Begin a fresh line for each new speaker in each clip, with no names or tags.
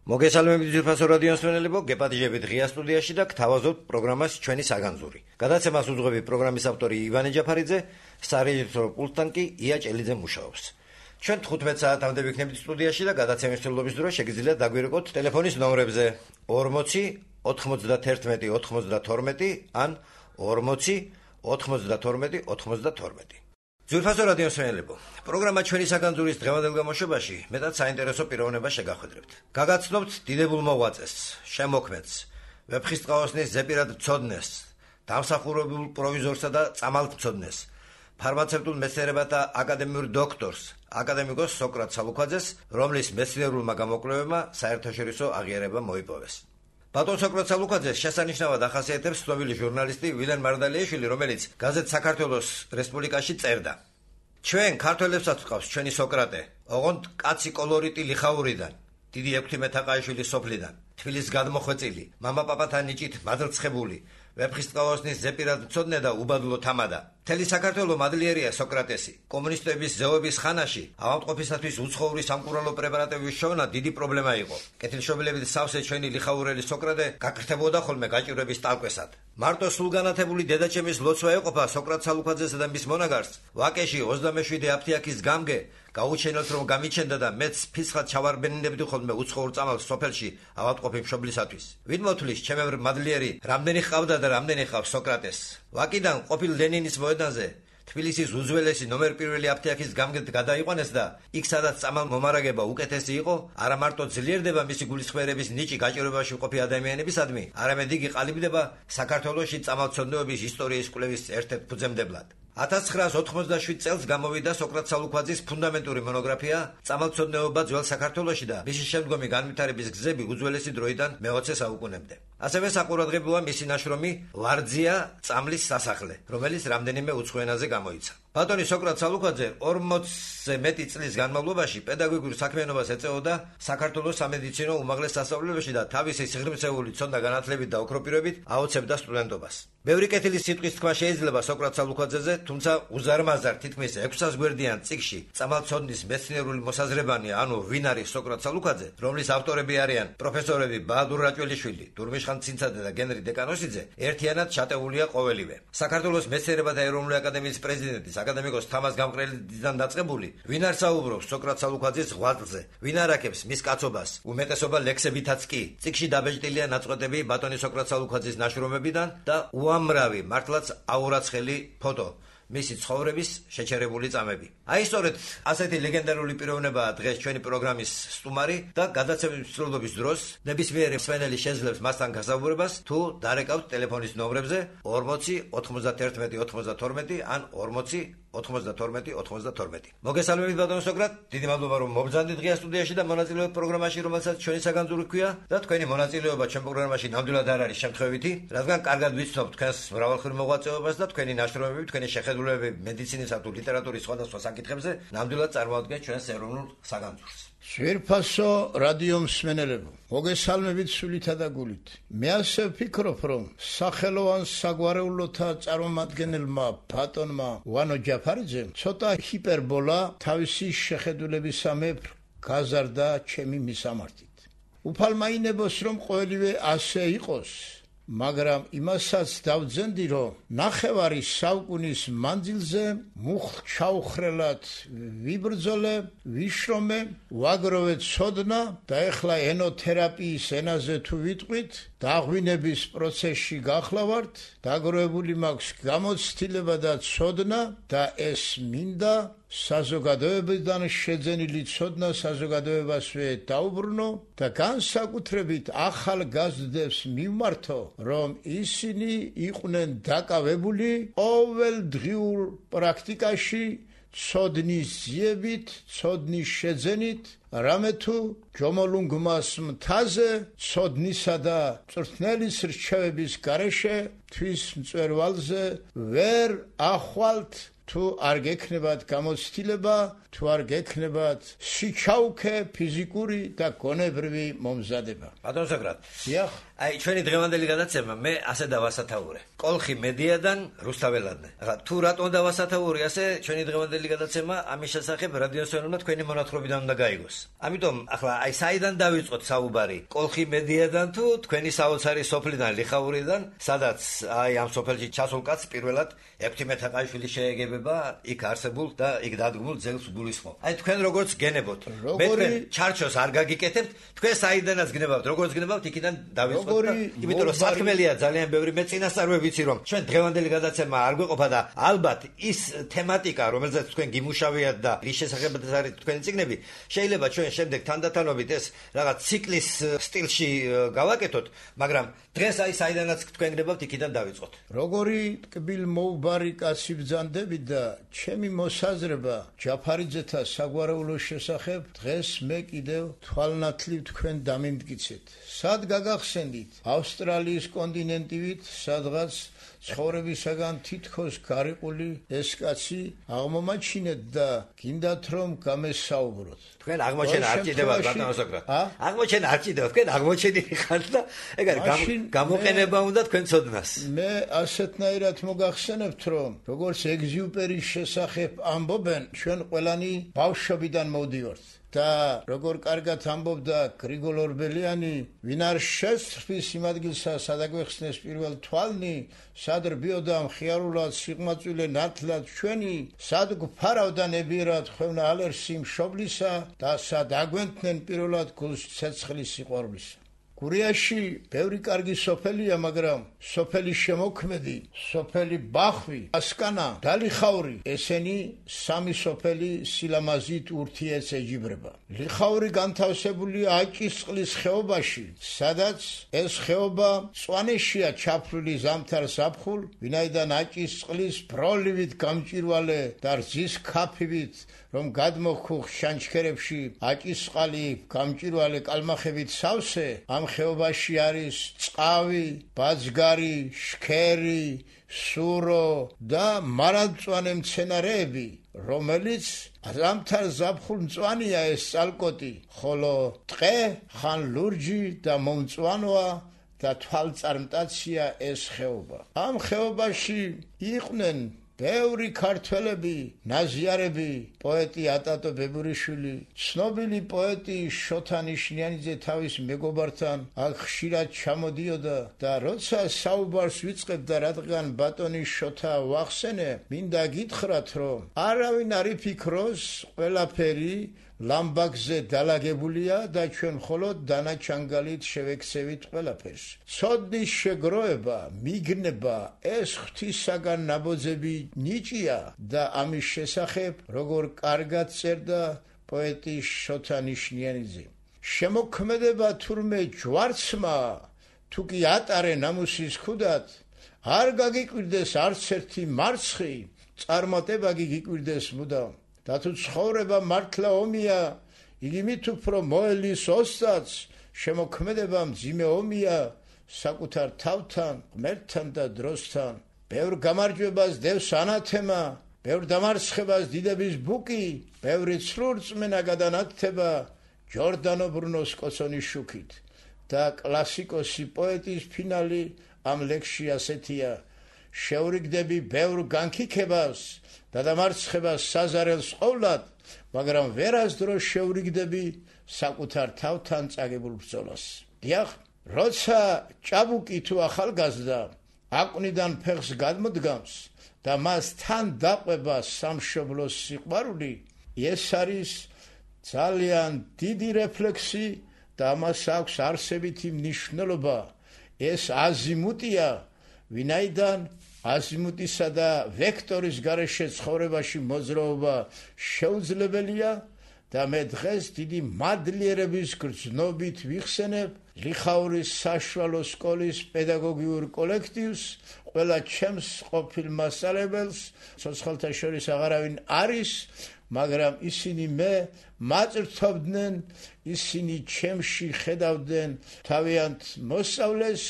მოგესალმებით ძვირფასო რადიო მსმენელებო, გეპატიჟებით ღია სტუდიაში და გთავაზობთ პროგრამას ჩვენი საგანძური. გადაცემას უძღვები პროგრამის ავტორი ივანე ჯაფარიძე, სარეჟისორო პულტთან კი ია ჭელიძე მუშაობს. ჩვენ 15 საათამდე ვიქნებით სტუდიაში და გადაცემის მსვლელობის დროს შეგიძლიათ დაგვირეკოთ ტელეფონის ნომრებზე 40 91 92 ან 40 92 92. ძვირფასო რადიო მსმენელებო, პროგრამა ჩვენი საგანძურის დღევანდელ გამოშვებაში მეტად საინტერესო პიროვნებას შეგახვედრებთ. გაგაცნობთ დიდებულ მოღვაწეს, შემოქმედს, ვეფხისტყაოსნის ზეპირად მცოდნეს, დამსახურებულ პროვიზორსა და წამალმცოდნეს, ფარმაცევტულ მეცნიერებათა აკადემიურ დოქტორს, აკადემიკოს სოკრატ სალუქვაძეს, რომლის მეცნიერულმა გამოკვლევებმა საერთაშორისო აღიარება მოიპოვეს. ბატონ სოკრატ სალუქვაძეს შესანიშნავად ახასიათებს ცნობილი ჟურნალისტი ვილენ მარდალიაშვილი, რომელიც გაზეთ საქართველოს რესპუბლიკაში წერდა: ჩვენ ქართველებსაც ვყავს ჩვენი სოკრატე, ოღონდ კაცი კოლორიტი ლიხაურიდან, დიდი ექვთი მეთაყაიშვილის სოფლიდან, თბილის გადმოხვეწილი, მამა-პაპათა ნიჭით მადლცხებული, ვეფხისტყაოსნის ზეპირად მცოდნე და უბადლო თამადა. მთელი საქართველო მადლიერია სოკრატესი. კომუნისტების ზეობის ხანაში ავადმყოფისათვის უცხოური სამკურნალო პრეპარატების შოვნა დიდი პრობლემა იყო. კეთილშობილებით სავსე ჩვენი ლიხაურელი სოკრატე გაკრთებოდა ხოლმე გაჭირვების ტალკვესად. მარტო სულგანათებული დედაჩემის ლოცვა ეყოფა სოკრატ სალუქვაძესა და მის მონაგარს. ვაკეში 27 აფთიაქის გამგე გაუჩენელთ რომ გამიჩენდა და მეც ფიცხად ჩავარბენინებდი ხოლმე უცხოურ წამალს სოფელში ავადმყოფი მშობლისათვის. ვინ მოთulis ჩემებრ მადლიერი რამდენი ჰყავდა და რამდენი ჰყავს სოკრატეს. ვაკიდან ყოფილ ლენინის მოედანზე თბილისის უძველესი ნომერ პირველი აფთიაქის გამგედ გადაიყვანეს და იქ სადაც წამალ მომარაგება უკეთესი იყო, არა მარტო ძლიერდება მისი გულისხმიერების ნიჭი გაჭირვებაში მყოფი ადამიანებისადმი, არამედ იგი ყალიბდება საქართველოში წამალმცოდნეობის ისტორიის კვლევის ერთ-ერთ ფუძემდებლად. 1987 წელს გამოვიდა სოკრატ სალუქვაძის ფუნდამენტური მონოგრაფია წამალმცოდნეობა ძველ საქართველოში და მისი შემდგომი განვითარების გზები უძველესი დროიდან მე-20 საუკუნემდე. ასევე საყურადღებოა მისი ნაშრომი ლარძია წამლის სასახლე, რომელიც რამდენიმე უცხო ენაზე გამოიცა. ბატონი სოკრატ სალუქვაძე 40-ზე მეტი წლის განმავლობაში პედაგოგიურ საქმიანობას ეწეოდა საქართველოს სამედიცინო უმაღლეს სასწავლებელში და თავისი სიღრმისეული ცოდნა განათლებით და ოქროპირობით აოცებდა სტუდენტობას. ბევრი კეთილი სიტყვის თქვა შეიძლება სოკრატ სალუქვაძეზე, თუმცა უზარმაზარ თითქმის 600 გვერდიან წიგნში წამალმცოდნის მეცნიერული მოსაზრებანი, ანუ ვინ არის სოკრატ სალუქვაძე, რომლის ავტორები არიან პროფესორები ბაადურ რაჭველიშვილი, დურმიშხან ცინცაძე და გენრი დეკანოსიძე, ერთიანად ჩატეულია ყოველივე. საქართველოს მეცნიერებათა ეროვნული აკადემიის პრეზიდენტის აკადემიკოს თამაზ გამყრელიდან დაწყებული, ვინ არ საუბრობს სოკრატ სალუქვაძის ღვაწლზე, ვინ არაქებს მის კაცობას, უმეტესობა ლექსებითაც კი. წიგნში დაბეჭდილია ნაწყვეტები ბატონი სოკრატ სალუქვაძის ნაშრომებიდან და უამრავი მართლაც აურაცხელი ფოტო, მისი ცხოვრების შეჩერებული წამები. აი სწორედ ასეთი ლეგენდარული პიროვნებაა დღეს ჩვენი პროგრამის სტუმარი და გადაცემის მსვლელობის დროს ნებისმიერი მსმენელი შეძლებს მასთან გასაუბრებას თუ დარეკავთ ტელეფონის ნომრებზე 40 91 92 ან 40 92 92. მოგესალმებით ბატონ სოკრატ, დიდი მადლობა რომ მობრძანდით ღია სტუდიაში და მონაწილეობთ პროგრამაში, რომელსაც ჩვენი საგანძური ჰქვია და თქვენი მონაწილეობა ჩვენ პროგრამაში ნამდვილად არ არის შემთხვევითი, რადგან კარგად ვიცნობ თქვენს მრავალხმიან მოღვაწეობას და თქვენი ნაშრომები, თქვენი შეხედულებები მედიცინისა თუ ლიტერატურის სხვადასხვა საკითხებზე ნამდვილად წარმოადგენს ჩვენს ეროვნულ საგანძურს.
ძვირფასო რადიო მსმენელებო, მოგესალმებით სულითა და გულით. მე ასე ვფიქრობ, რომ სახელოვან საგვარეულოთა წარმომადგენელმა ბატონმა ვანო ჯაფარიძემ ცოტა ჰიპერბოლა თავისი შეხედულებისამებრ გაზარდა ჩემი მისამართით. უფალმაინებოს რომ ყოველივე ასე იყოს, მაგრამ იმასაც დავძენდი, რომ ნახევარი საუკუნის მანძილზე მუხლ-ჩაუხრელად ვიბრძოლე, ვიშრომე, ვაგროვე ცოდნა და ეხლა ენოთერაპიის ენაზე თუ ვიტყვით, დაღვინების პროცესში გახლავართ, დაგროვებული მაქვს გამოცდილება და ცოდნა და ეს მინდა საზოგადოებიდან შეძენილი ცოდნა საზოგადოებასვე დაუბრუნო და განსაკუთრებით ახალგაზრდებს მივმართო, რომ ისინი იყვნენ დაკავებული ყოველდღიურ პრაქტიკაში ცოდნის ძიებით, ცოდნის შეძენით, რამე თუ ჯომოლუნგმას მთაზე ცოდნისა და მწვრთნელის რჩევების გარეშე თვის მწვერვალზე ვერ ახვალთ, თუ არ გექნებათ გამოცდილება, თუ არ გექნებათ სიჩაუქე ფიზიკური და გონებრივი მომზადება.
ბატონ სოკრატ,
დიახ.
აი ჩვენი დღევანდელი გადაცემა მე ასე დავასათაურე. კოლხი მედიადან რუსთაველადნე. ახლა თუ რატომ დავასათაური ასე ჩვენი დღევანდელი გადაცემა ამის შესახებ რადიოსმენელმა თქვენი მონათხრობიდან უნდა გაიგოს. ამიტომ ახლა აი საიდან დავიწყოთ საუბარი? კოლხი მედიადან თუ თქვენი საოცარი სოფლიდან ლიხაურიდან, სადაც აი ამ სოფელში ჩასულ კაცს პირველად ექვთიმე თაყაიშვილი შეეგებება იქ არსებულ და იქ დადგმულ ძელს გულისხმობ. აი თქვენ როგორც გენებოთ, მე თქვენ ჩარჩოს არ გაგიკეთებთ, თქვენ საიდანაც გნებავთ, როგორც გნებავთ, იქიდან დავიწყოთ და იმიტომ რომ საქმელია ძალიან ბევრი, მე წინასწარ ვიცი რომ ჩვენ დღევანდელი გადაცემა არ გვეყოფა და ალბათ ის თემატიკა, რომელზეც თქვენ გიმუშავიათ და რის შესახებაც არის თქვენი წიგნები, შეიძლება ჩვენ შემდეგ თანდათანობით ეს რაღაც ციკლის სტილში გავაკეთოთ, მაგრამ დღეს აი საიდანაც თქვენ გნებავთ, იქიდან დავიწყოთ.
როგორი ტკბილ მოუბარი კაცი ბრძანდები და ჩემი მოსაზრება ჯაფარიძეთა საგვარეულოს შესახებ დღეს მე კიდევ თვალნათლივ თქვენ დამიმტკიცეთ. სად გაგახსენდით? ავსტრალიის კონტინენტივით, სადღაც ცხოვრებისაგან თითქოს გარიყული ეს კაცი აღმომაჩინეთ და გინდათ რომ გამესაუბროთ.
თქვენ აღმოჩენა არ ჭირდებათ ბატონო სოკრატე. აღმოჩენა არ ჭირდებათ, თქვენ აღმოჩენილი ხართ და ეგ არის გამოყენება უნდა თქვენ ცოდნას.
მე ასეთნაირად მოგახსენებთ რომ როგორც ეგზიუპერის შესახებ ამბობენ, ჩვენ ყველანი ბავშვობიდან მოვდივართ. და როგორ კარგად ამბობდა გრიგოლ ორბელიანი, ვინ არ შეცრფის იმ ადგილსა, სად აგვეხსნეს პირველ თვალნი, სად რბიოდა მხიარულად სიღმაწვილე ნათლად ჩვენი, სად გვფარავდა ნებიერად ხვევნა ალერსი მშობლისა და სად აგვენთნენ პირველად გულს ცეცხლის სიყვარულისა. გურიაში ბევრი კარგი სოფელია, მაგრამ სოფელი შემოქმედი, სოფელი ბახვი, ასკანა და ლიხაური, ესენი სამი სოფელი სილამაზით ურთიერთს ეჯიბრება. ლიხაური განთავსებულია აჭისწყლის ხეობაში, სადაც ეს ხეობა მწვანეშია ჩაფლული ზამთარ ზაფხულ, ვინაიდან აჭისწყლის ბროლივით გამჭირვალე და რძის ქაფივით რომ გადმოხუხ შანჩქერებში აჭისყალი გამჭირვალე კალმახებით სავსე, ამ ხეობაში არის წყავი, ბაძგარი, შქერი, სურო და მარადმწვანე მცენარეები, რომელიც ზამთარ ზაფხულ მწვანეა ეს წალკოტი, ხოლო ტყე ხან ლურჯი და მომწვანოა და თვალწარმტაცია ეს ხეობა. ამ ხეობაში იყვნენ ბევრი ქართველები, ნაზიარები, პოეტი ატატო ბებურიშვილი, ცნობილი პოეტი შოთა ნიშნიანიძე თავის მეგობართან აქ ხშირად ჩამოდიოდა და როცა საუბარს ვიწყებდა, რადგან ბატონი შოთა ვახსენე, მინდა გითხრათ, რომ არავინ არ იფიქროს, ყველაფერი ლამბაგზე დალაგებულია და ჩვენ მხოლოდ დანაჩანგალით შევექცევით ყველაფერს. ცოდნის შეგროვება, მიგნება, ეს ღვთისაგან ნაბოძები ნიჭია და ამის შესახებ როგორ კარგად წერდა პოეტი შოთა ნიშნიანიძე. შემოქმედება თურმე ჯვარცმა, თუ კი ატარე ნამუსის ქუდად, არ გაგიკვირდეს არც ერთი მარცხი, წარმატება გიგიკვირდეს მუდამ. და თუ ცხოვრება მართლა ომია, იგი მით უფრო მოელის ოსტატს, შემოქმედება მძიმე ომია, საკუთარ თავთან, ღმერთთან და დროსთან. ბევრ გამარჯვებას დევს ანათემა, ბევრ დამარცხებას დიდების ბუკი, ბევრი ცრურწმენა გადანათდება ჯორდანო ბრუნოს კოცონის შუქით. და კლასიკოსი პოეტის ფინალი ამ ლექსში ასეთია: შევრიგდები ბევრ განქიქებას და დამარცხებას საზარელს ყოვლად, მაგრამ ვერასდროს შევრიგდები საკუთარ თავთან წაგებულ ბრძოლას. დიახ, როცა ჭაბუკი თუ ახალგაზრდა აკვნიდან ფეხს გადმოდგამს და მას თან დაყვება სამშობლოს სიყვარული, ეს არის ძალიან დიდი რეფლექსი და ამას აქვს არსებითი მნიშვნელობა. ეს აზიმუტია, ვინაიდან აზიმუტისა და ვექტორის გარეშე ცხოვრებაში მოძრაობა შეუძლებელია და მე დღეს დიდი მადლიერების გრძნობით ვიხსენებ ლიხაურის საშუალო სკოლის პედაგოგიურ კოლექტივს, ყველა ჩემს ყოფილ მასწავლებელს, ცოცხალთა შორის აღარავინ არის, მაგრამ ისინი მე მაწვრთობდნენ, ისინი ჩემში ხედავდნენ თავიანთ მოსწავლეს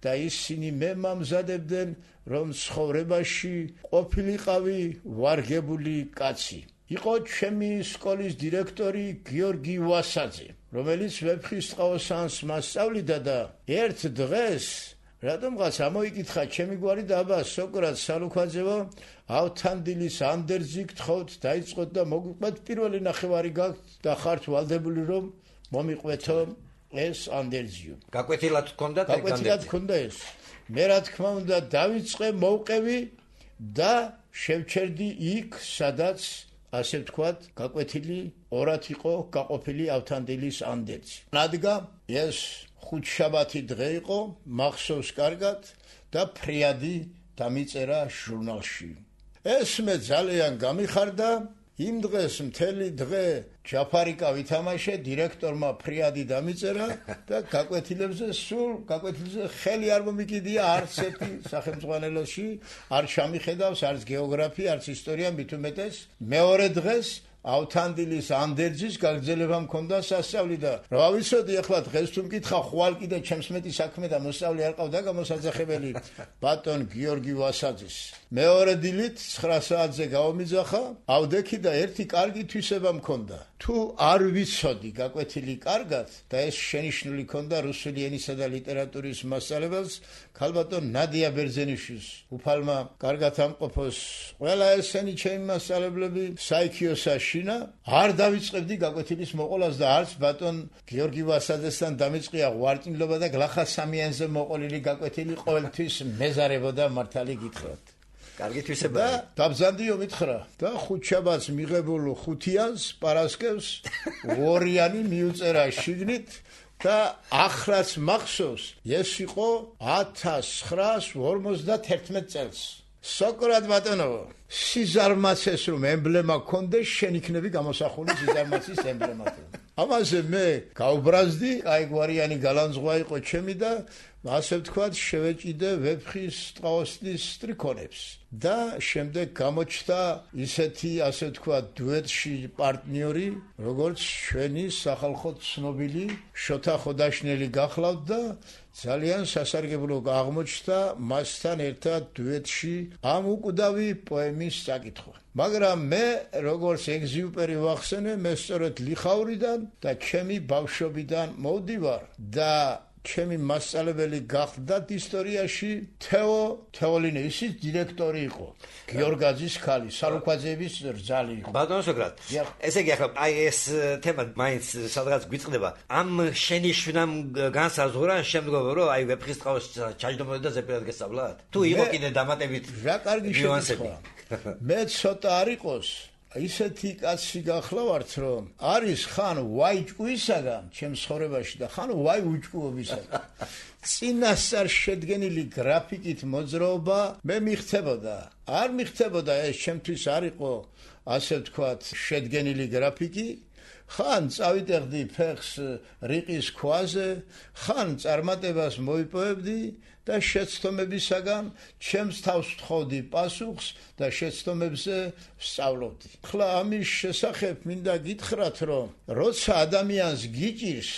და ისინი მე მამზადებდნენ, რომ ცხოვრებაში ყოფილიყავი ვარგებული კაცი. იყო ჩემი სკოლის დირექტორი გიორგი ვასაძე, რომელიც ვეფხისტყაოსანს მასწავლიდა და ერთ დღეს რატომღაც ამოიკითხა ჩემი გვარი დაბა სოკრატ სალუქვაძეო ავთანდილის ანდერძი გთხოვთ დაიწყოთ და მოგიყვეთ პირველი ნახევარი გაქვთ და ხართ ვალდებული რომ მომიყვეთო ეს ანდერძიო
გაკვეთილად
გქონდა ეს მე რა თქმა უნდა დავიწყე მოვყევი და შევჩერდი იქ სადაც ასე ვთქვათ გაკვეთილი ორად იყო გაყოფილი ავთანდილის ანდერძი რადგან ეს ხუთშაბათი დღე იყო მახსოვს კარგად და ფრიადი დამიწერა ჟურნალში ეს მე ძალიან გამიხარდა იმ დღეს მთელი დღე ჯაფარიკა ვითამაშე დირექტორმა ფრიადი დამიწერა და გაკვეთილებზე ხელი არ მომიკიდია არც ერთი სახელმძღვანელოში არ ჩამიხედავს არც გეოგრაფია არც ისტორია მით უმეტეს მეორე დღეს ავთანდილის ანდერძის გაგრძელება მქონდა სასწავლი და რა ვიცოდი ახლა დღეს თუ მკითხა ხვალ კიდე ჩემს მეტი საქმე და მოსწავლე არ ყავდა გამოსაძახებელი ბატონ გიორგი ვასაძის მეორე დილით 9 საათზე გავომიძახა ავდექი და ერთი კარგი თვისება მქონდა თუ არ ვიცოდი გაკვეთილი კარგად და ეს შენიშნული ქონდა რუსული ენისა და ლიტერატურის მასწავლებელს ქალბატონ ნადია ბერძენიშვილს უფალმა კარგად ამყოფოს ყველა ესენი ჩემი მასწავლებლები საიქიოსაშინა არ დავიწყებდი გაკვეთილის მოყოლას და არც ბატონ გიორგი ვასაძესთან დამიწყია ღვარწმილობა და გლახა სამიანზე მოყოლილი გაკვეთილი ყოველთვის მეზარებოდა მართალი გითხრათ
კარგი თვისება
და დაბზანდიო მითხრა და ხუთშაბათს მიღებულ ხუთიანს პარასკევს ორიანი მიუწერა შიგნით და ახლაც მახსოვს ეს იყო 1951 წელს სოკრატ ბატონო სიზარმაცეს რომ ემბლემა ქონდეს შენ იქნები გამოსახული სიზარმაცის ემბლემად ამაზე მე გავბრაზდი აი გვარიანი გალანძღვა იყო ჩემი და ასე ვთქვათ შევეჭიდე ვეფხის ტყაოსნის სტრიქონებს და შემდეგ გამოჩნდა ისეთი ასე ვთქვათ დუეტში პარტნიორი როგორც ჩვენი სახალხო ცნობილი შოთა ხოდაშნელი გახლავთ და ძალიან სასარგებლო აღმოჩნდა მასთან ერთად დუეტში ამ უკვდავი პოემის საკითხვა მაგრამ მე როგორც ეგზიუპერი ვახსენე მე სწორედ ლიხავრიდან და ჩემი ბავშვობიდან მოვდივარ და ჩემი მასწავლებელი გახდათ ისტორიაში თეოლინე ისიც დირექტორი იყო გიორგაძის ხალი სალუქვაძეების რძალი იყო
ბატონო სოკრატ ესე იგი ახლა აი ეს თემა მაინც სადღაც გვიწყდება ამ შენიშვნამ განსაზღვრა შემდგომ რომ აი ვეფხის ტყაოს ჩაჯდომოდა და ზეპირად გესწავლათ თუ იყო კიდე დამატებით
რა კარგი შევასება მე ცოტა არ იყოს ისეთი კაცი გახლავართ რომ არის ხან ვაი ჭკუისაგან ჩემს ცხოვრებაში და ხან ვაი უჭკუობისაგან წინასწარ შედგენილი გრაფიკით მოძრაობა მე მიხდებოდა არ მიხდებოდა ეს ჩემთვის არ იყო ასე ვთქვათ შედგენილი გრაფიკი ხან წავიტეხდი ფეხს რიყის ქვაზე ხან წარმატებას მოიპოვებდი და შეცდომებისაგან ჩემს თავს ვთხოვდი პასუხს და შეცდომებზე ვსწავლობდი. ხლა ამის შესახებ მინდა გითხრათ, რომ როცა ადამიანს გიჭირს,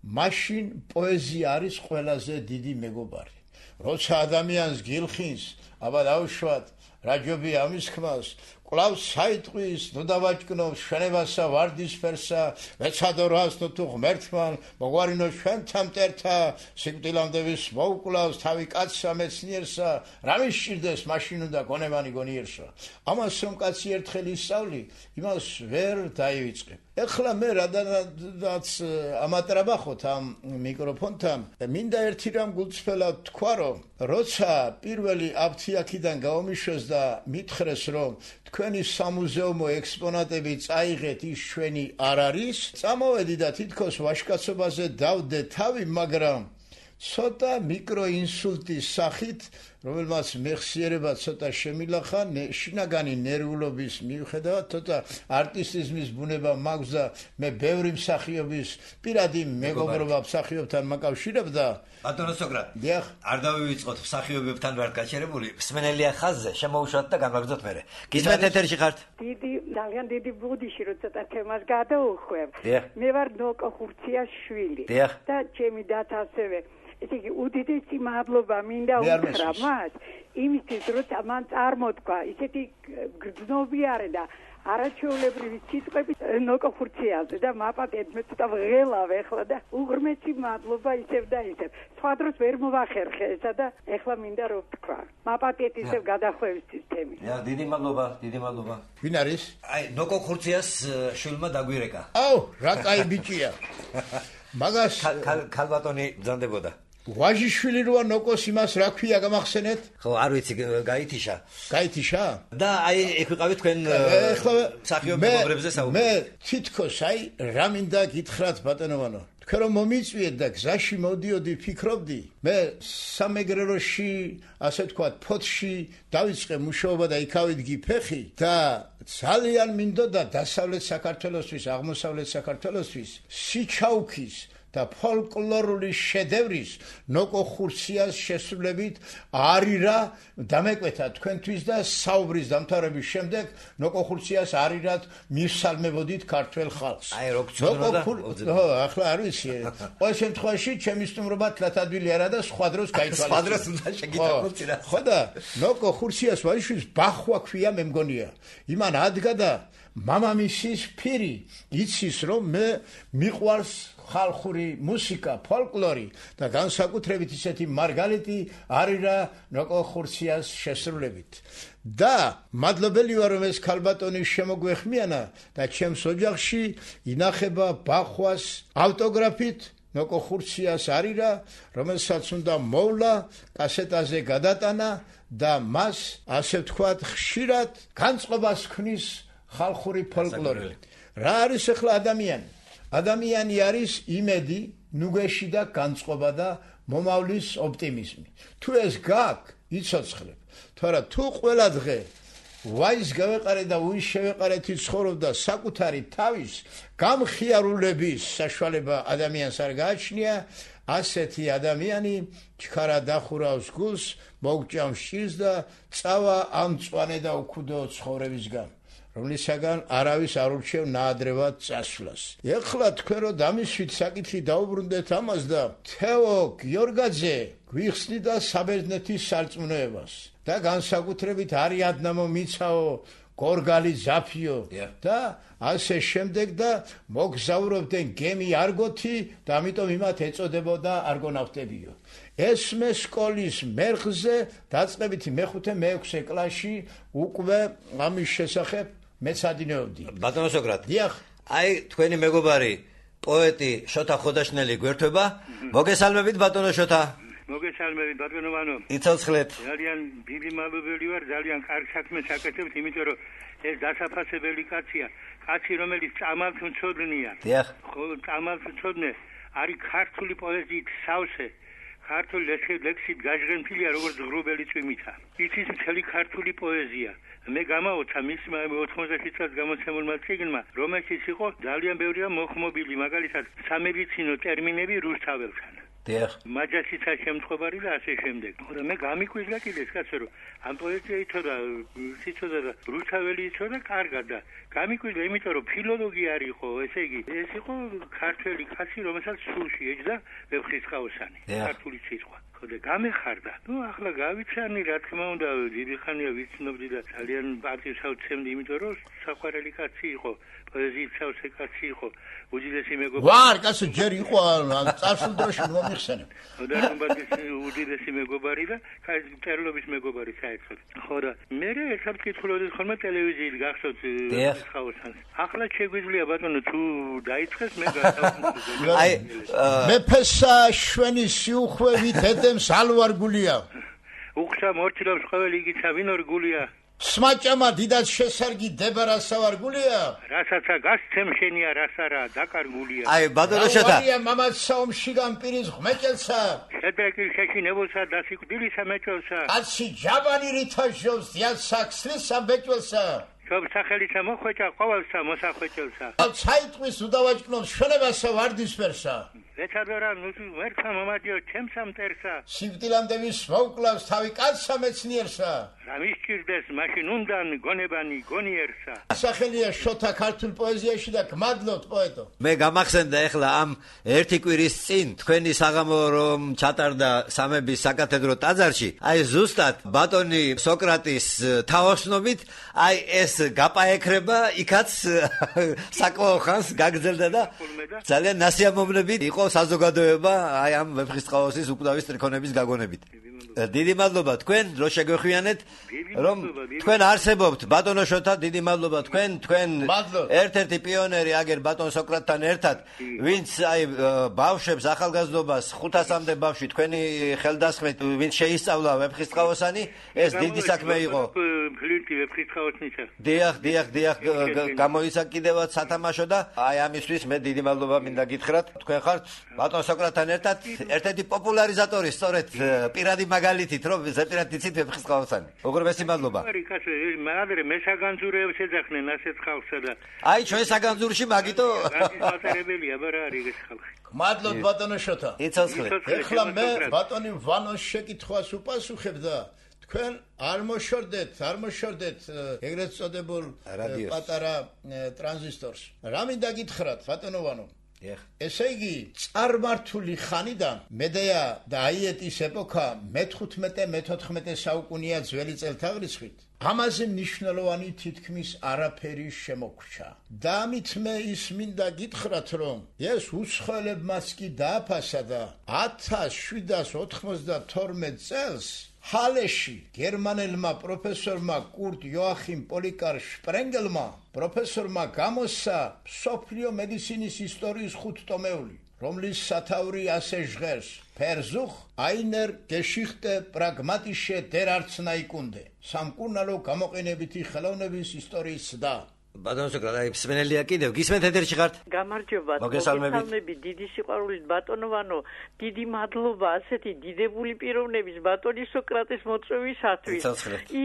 მაშინ პოეზია არის ყველაზე დიდი მეგობარი. როცა ადამიანს გილხინს, აბა დავუშვათ, რა ჯობია ამის ხმას, კვლავ საიტყვის, ნუ დავაჭკნო შენებასა ვარდისფერსა, მეცადორას ნუ თუ ღმერთმან, მოგვარინო ჩვენთან მტერთა, სიკვდილამდე ვის მოუკლავს თავი კაცსა მეცნიერსა, რა მისჭირდეს მაშინ უნდა გონებანი გონიერსა. ამას რომ კაცი ერთხელ ისწავლი, იმას ვერ დაივიწყებ. ეხლა მე რადგანაც ამატრაბახოთ ამ მიკროფონთან, მინდა ერთი რამ გულწრფელად თქვა, რომ როცა პირველი აფთიაქიდან გავომიშვეს და მითხრეს, რომ თქვენი სამუზეუმო ექსპონატები წაიღეთ, ის ჩვენი არ არის, წამოვედი და თითქოს ვაშკაცობაზე დავდე თავი, მაგრამ ცოტა მიკროინსულტის სახით, რომელმაც მეხსიერება ცოტა შემილახა, შინაგანი ნერვულობის მიუხედავად, ცოტა არტისტიზმის ბუნება მაქვს და მე ბევრი მსახიობის პირადი მეგობრობა მსახიობთან მაკავშირებ და
ბატონო სოკრატ, არ დავივიწყოთ მსახიობებთან ვარ გაჩერებული, მსმენელია ხაზზე, შემოუშვათ და გამაგზოთ მერე. გისმენთ ეთერში ხართ?
ძალიან დიდი ბუდიში რომ ცოტა თემას გადაუხვევ. მე ვარ ნოკო ხურციას შვილი და ჩემი დათ ასევე ესე იგი უდიდესი მადლობა მინდა უთხრა მას იმისთვის როცა მან წარმოთქვა ისეთი გრძნობიარე და არაჩვეულებრივი სიტყვები ნოკო ხურციაზე და მაპატეთ მე ცოტა ვღელავ ახლა და უღრმესი მადლობა ისევ და ისევ. სხვა დროს ვერ მოვახერხე ესა და ახლა მინდა რომ ვთქვა. მაპატეთ ისევ გადახვევისთვის თემი.
დიდი მადლობა, დიდი მადლობა.
ვინ არის?
აი, ნოკო ხურციას შვილმა დაგვირეკა.
აუ, რა კაი ბიჭია. მაგას
ქალბატონი ბრძანდებოდა.
ვაჟიშვილი როა ნოკოს იმას რა ქვია გამახსენეთ?
ხო, არ ვიცი, გაითიშა.
გაითიშა?
და აი, ეგ ვიყავი თქვენ მსახიობ მეგობრებზე საუბარი.
მე თითქოს აი რა მინდა გითხრათ ბატონოვანო. თქვენ რომ მომიწვიეთ და გზაში მოდიოდი ფიქრობდი, მე სამეგრელოში, ასე ვთქვათ, ფოთში დავიწყე მუშაობა და იქავიდგი ფეხი და ძალიან მინდოდა დასავლეთ საქართველოსთვის, აღმოსავლეთ საქართველოსთვის სიჩაუქის და ფოლკლორული შედევრის ნოკო ხურციას შესრულებით არირა დამეკვეთა თქვენთვის და საუბრის დამთავრების შემდეგ ნოკო ხურციას არირად მისალმებოდით ქართველ ხალხს.
აი რო გწოდნოდა.
ხო, ახლა არ ვიცი. ყოველ შემთხვევაში ჩემი სტუმრობა თლათადვილი არა და სხვა დროს გაითვალისწინე.
სხვა დროს უნდა შეგიტანოთ რა.
ხო და ნოკო ხურციას ვაჟიშვილს ბახვა ქვია მე მგონია. იმან ადგა და მამამისის ფირი იცის რომ მე მიყვარს ხალხური მუსიკა, ფოლკლორი და განსაკუთრებით ისეთი მარგალიტი არირა ნოკო ხურციას შესრულებით. და მადლობელი ვარ რომ ეს ქალბატონი შემოგვეხმიანა და ჩემს ოჯახში ინახება ბახვას ავტოგრაფით ნოკო ხურციას არირა, რომელსაც უნდა მოვლა, კასეტაზე გადატანა და მას ასე ვთქვათ ხშირად განწყობას ქმნის ხალხური ფოლკლორი. რა არის ახლა ადამიანი? ადამიანი არის იმედი, ნუგეში და განწყობა და მომავლის ოპტიმიზმი. თუ ეს გაქვს, იცოცხლებ. თორე თუ ყველა დღე ვაის გავეყარე და უის შევეყარეთი ცხოვრობდა საკუთარი თავის გამხიარულების საშუალება ადამიანს არ გააჩნია, ასეთი ადამიანი ჩქარა დახურავს გულს, მოგჭამს ჭირს და წავა ამ მწვანე და უქუდო ცხოვრებისგან. რომლისაგან არავის არ ურჩევ ნაადრევად წასვლას. ეხლა თქვენ რომ დამისვით საკითხი დაუბრუნდეთ ამას და თეო გიორგაძე გვიხსნით და საბერძნეთის სარწმუნოებას და განსაკუთრებით არიადნამო მიცაო გორგალი ზაფიო და ასე შემდეგ და მოგზაურობდნენ გემი არგოთი და ამიტომ იმათ ეწოდებოდა არგონავტებიო. ესმე სკოლის მერხზე დაწყებითი მეხუთე მეექვსე კლასში უკვე ამის შესახებ მეცადინეობდი.
ბატონო სოკრატ.
დიახ.
აი თქვენი მეგობარი პოეტი შოთა ხოდაშნელი გვერდება. მოგესალმებით ბატონო შოთა.
მოგესალმებით ბატონოვანო.
იცოცხლეთ.
ძალიან დიდი მადლობელი ვარ, ძალიან კარგ საქმეს აკეთებთ, იმიტომ რომ ეს დასაფასებელი კაცია, კაცი რომელიც წამალთ მწოდნია.
დიახ.
ხო, წამალთ მწოდნე არის ქართული პოეზიით სავსე. ქართული ლექსით გაჟღენთილია როგორც ღრუბელი წვიმითა. იცის მთელი ქართული პოეზია. მე გამაოცა მისმა 80 წელს გამოცემულმა წიგნმა, რომელშიც იყო ძალიან ბევრია მოხმობილი, მაგალითად სამედიცინო ტერმინები რუსთაველთან.
დიახ.
მაჯასიცა შემთხვევარი და ასე შემდეგ. მაგრამ მე გამიკვირდა კიდეც კაცო რომ ამ პოეზია იცოდა, იცოდა და რუსთაველი იცოდა კარგად და გამიკვირდა იმიტომ რომ ფილოლოგია არ იყო, ესე იგი ეს იყო ქართველი კაცი, რომელსაც სულში ეჯდა ვეფხისტყაოსანი, ქართული სიტყვა. ხოდა გამეხარდა. ნუ ახლა გავიცანი, რა თქმა უნდა, დიდი ხანია ვიცნობდი და ძალიან პარტიას ავცემდი, იმიტომ რომ საყვარელი კაცი იყო, პოეზიით სავსე კაცი იყო, უდიდესი მეგობარი.
ვარ, კაცო, ჯერ იყო წარსულ დროში მომიხსენებ.
ხოდა უდიდესი მეგობარი და წერლობის მეგობარი საერთოდ. ხოდა მე ერთად კითხულობდი ხოლმე ტელევიზიით გახსოვთ ხაოსანს. ახლა შეგვიძლია ბატონო თუ დაიწყეს მე გასავსე.
აი მეფესა შვენის სიუხვევით ედემს ალვარგულია.
უხსა მორჩილობს ყოველი იგიცა ვინ ორგულია.
სმაჭამა დიდად შესარგი დებარასავარგულია.
რასაცა გასცემ შენია რასარა დაკარგულია.
აი ბატონო შოთა.
ავარია მამაცსა ომშიგან პირის ღმეჭელსა.
შედრეკილ შეშინებულსა დასიკვდილისა მეჭველსა.
კაცი ჯაბანი რითაშობს დიალსა ქსლისა ბეჭველსა.
შობ სახელისა მოხვეჭა ყოველსა მოსახვეჭელსა.
ცაიტყვის უდავაჭკნობს შენებასა ვარდისფერსა.
ვეცადორა ნუ ვერცა მომადიო ჩემს ამტერსა
სიკვდილამდე ვის მოუკლავს თავი კაცსა მეცნიერსა
რა მისჭირდეს მაშინ უნდან გონებანი გონიერსა
სახელია შოთა ქართულ პოეზიაში და გმადლობთ პოეტო
მე გამახსენდა ეხლა ამ ერთი კვირის წინ თქვენი საღამო რომ ჩატარდა სამების საკათედრო ტაძარში აი ზუსტად ბატონი სოკრატის თაოსნობით აი ეს გაპაექრება იქაც საკმაო ხანს გაგრძელდა და ძალიან ნასიამოვნებით იყო საზოგადოება აი ამ ვეფხისტყაოსის უკვდავის ტრიქონების გაგონებით დიდი მადლობა თქვენ რო შეგვეხვიანეთ რომ თქვენ არსებობთ ბატონო შოთა დიდი მადლობა თქვენ ერთ-ერთი პიონერი აგერ ბატონ სოკრატთან ერთად ვინც აი ბავშვებს ახალგაზრდობას 500-მდე ბავშვი თქვენი ხელდასხმით ვინც შეისწავლა ვეფხისტყაოსანი ეს დიდი საქმე იყო
ფლირტი ვეფხისტყაოსნიცა
დიახ გამოიცა კიდევაც სათამაშო და აი ამისთვის მე დიდი მადლობა მინდა გითხრათ თქვენ ხართ ბატონ სოკრატთან ერთად ერთ-ერთი პოპულარიზატორი სწორედ პირადი მაგალითით რომ ზეპირად იცით ვეფხისტყაოსანი უღრმესი მადლობა
არის კაცო მაგალითად მე საგანძურებს ეძახნენ ასეთ ხალხსა და
აი ჩვენ საგანძურში მაგიტო
მატარებელია ბარა არის ეს ხალხი
მადლობთ ბატონო შოთა
იცოცხლე
ეხლა მე ბატონი ვანოს შეკითხვას უპასუხებ და თქვენ არ მოშორდეთ ეგრეთ წოდებულ პატარა ტრანზისტორს რა მინდა გითხრათ ბატონო ვანო ესე იგი წარმართული ხანიდან მედეა და აიეტის ეპოქა მე-15-მე-14 საუკუნეა ძველი წელთაღრიცხვით ამაზე მნიშვნელოვანი თითქმის არაფერი შემოგრჩა და ამით მე ის მინდა გითხრათ რომ ეს უცხოელებმაც კი დააფასა და 1792 წელს ჰალეში გერმანელმა პროფესორმა კურტ იოახიმ პოლიკარ შპრენგელმა პროფესორმა გამოსცა მსოფლიო მედიცინის ისტორიის 5 ტომეული რომლის სათაური ასე ჟღერს Versuch einer Geschichte pragmatische der Arzneikunde სამკურნალო გამოყენებითი ხელოვნების ისტორიის და
ბატონო სოკრატი სმენელია კიდევ გისმენთ ეთერში ხართ
გამარჯობა მოგესალმებით დიდი სიყვარულით ბატონო ვანო დიდი მადლობა ასეთი დიდებული პიროვნების ბატონი სოკრატის მოწვევისათვის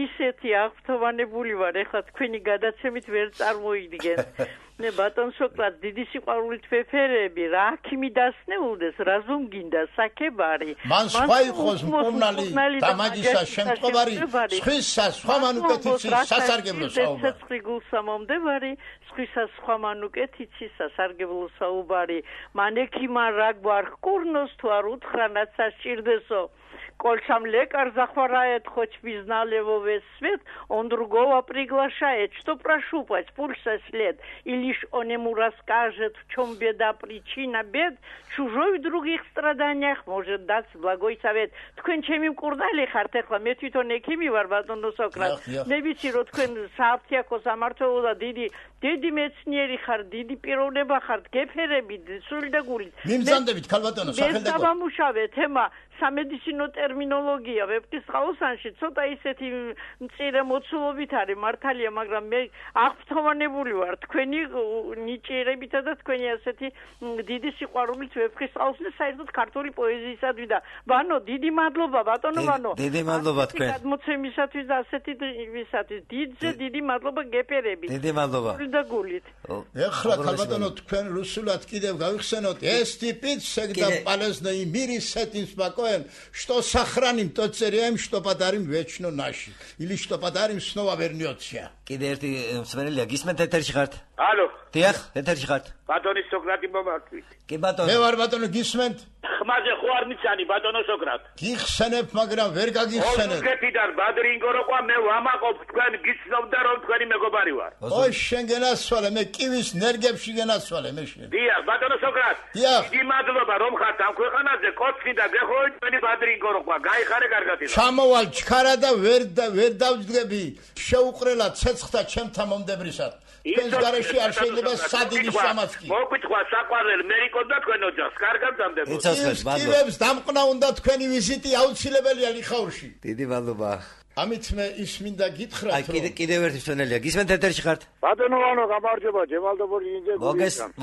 ისეთი აღფრთოვანებული ვარ ეხლა თქვენი გადაცემით ვერ წარმოიდგენ მე ბატონ სოკრატ დიდი სიყვარულით ვეფერები რა აქიმი დასნეულდეს რაზომ გინდა საქებარი
მან სხვა იყოს მკურნალი დამაგისა შემწყობარი სხვა მანუკეთიცი სასარგებლო საუბარი
გულსამომდევარი სხვისა სხვა მანუკეთიცი სასარგებლო საუბარი მან ექიმა რა გვარ კურნოს თუ არ უთხრანაც სასჭირდესო Колшам лекар захворает, хоть признали его весь свет, он другого приглашает, что прощупать пульса след, и лишь он ему расскажет, в чем беда, причина бед, чужой в других страданиях может дать благой совет. Თქვენ ჩემი მკურნალი ხართ ახლა მე თვითონ ექიმი ვარ ბატონო სოკრატ. მე ვიცი რომ თქვენ სააფთიაქო სამართლო და დიდი მეცნიერი ხარ, დიდი პიროვნება ხართ, გეფერებით, სული და გულით.
მიმზანდებით ქალბატონო სახელდაკო.
მე დავამუშავე თემა სამედიცინო ტერმინოლოგია ვეფხისტყაოსანში ცოტა ისეთი მწირე მოცულობით არის მართალია მაგრამ მე აღფრთოვანებული ვარ თქვენი ნიჭიერებითა და თქვენი ასეთი დიდი სიყვარულით ვეფხისტყაოსნის საერთოდ ქართული პოეზიისადმი და ბანო დიდი მადლობა ბატონო ბანო
დიდი მადლობა თქვენ
გადმოცემისათვის და ასეთი ვისათვის დიდი მადლობა გეფერებით
დიდი მადლობა
და გულით
ეხლა ქალბატონო თქვენ რუსულად კიდევ გავიხსენოთ ეს ტიპით შეგდა პალესნაი მირი სეტინს что сохраним тот царем, что подарим вечно наши. Или что подарим снова вернется.
კიდე ერთი მსმენელია გისმენთ ეთერში ხართ?
ალო.
დიახ, ეთერში ხართ.
ბატონი სოკრატი მომართვით.
კი ბატონო.
მე ვარ ბატონო გისმენთ?
ხმაზე ხო არ მიცანი ბატონო სოკრატ.
გიხსენებ, მაგრამ ვერ გაგიხსენებ.
ოსკეთიდან ბადრინგო როყვა მე ვამაყობ თქვენ გიცნობდა რომ თქვენი მეგობარი ვარ.
ой შენ გენასვალე მე კივის ნერგებში გენასვალე მე შენ.
დიახ ბატონო სოკრატ. დიდი მადლობა რომ ხართ ამ ქვეყანაზე კოცხი და გეხოი თქვენი ბადრინგო როყვა. გაიხარე კარგად იყო.
ჩამოვალ ჩქარა და ვერ დავძგები. შეუყრელა ცეცხლთა ჩემთან მომდებრისად. ეს გარეში არ შეიძლება სადილის სამაცკი.
მოგვითხრა საყვარელ მერიკოს და თქვენ ოჯახს. კარგად დამდებო.
კივებს დამყნა უნდა თქვენი ვიზიტი აუცილებელია ლიხაურში.
დიდი მადლობა.
ამით მე ის მინდა გითხრათ
აი კიდევ ერთი მსმენელია გისმენთ ეთერში ხართ
ბატონო ვანო გამარჯობა ჯემალდობური ინჯე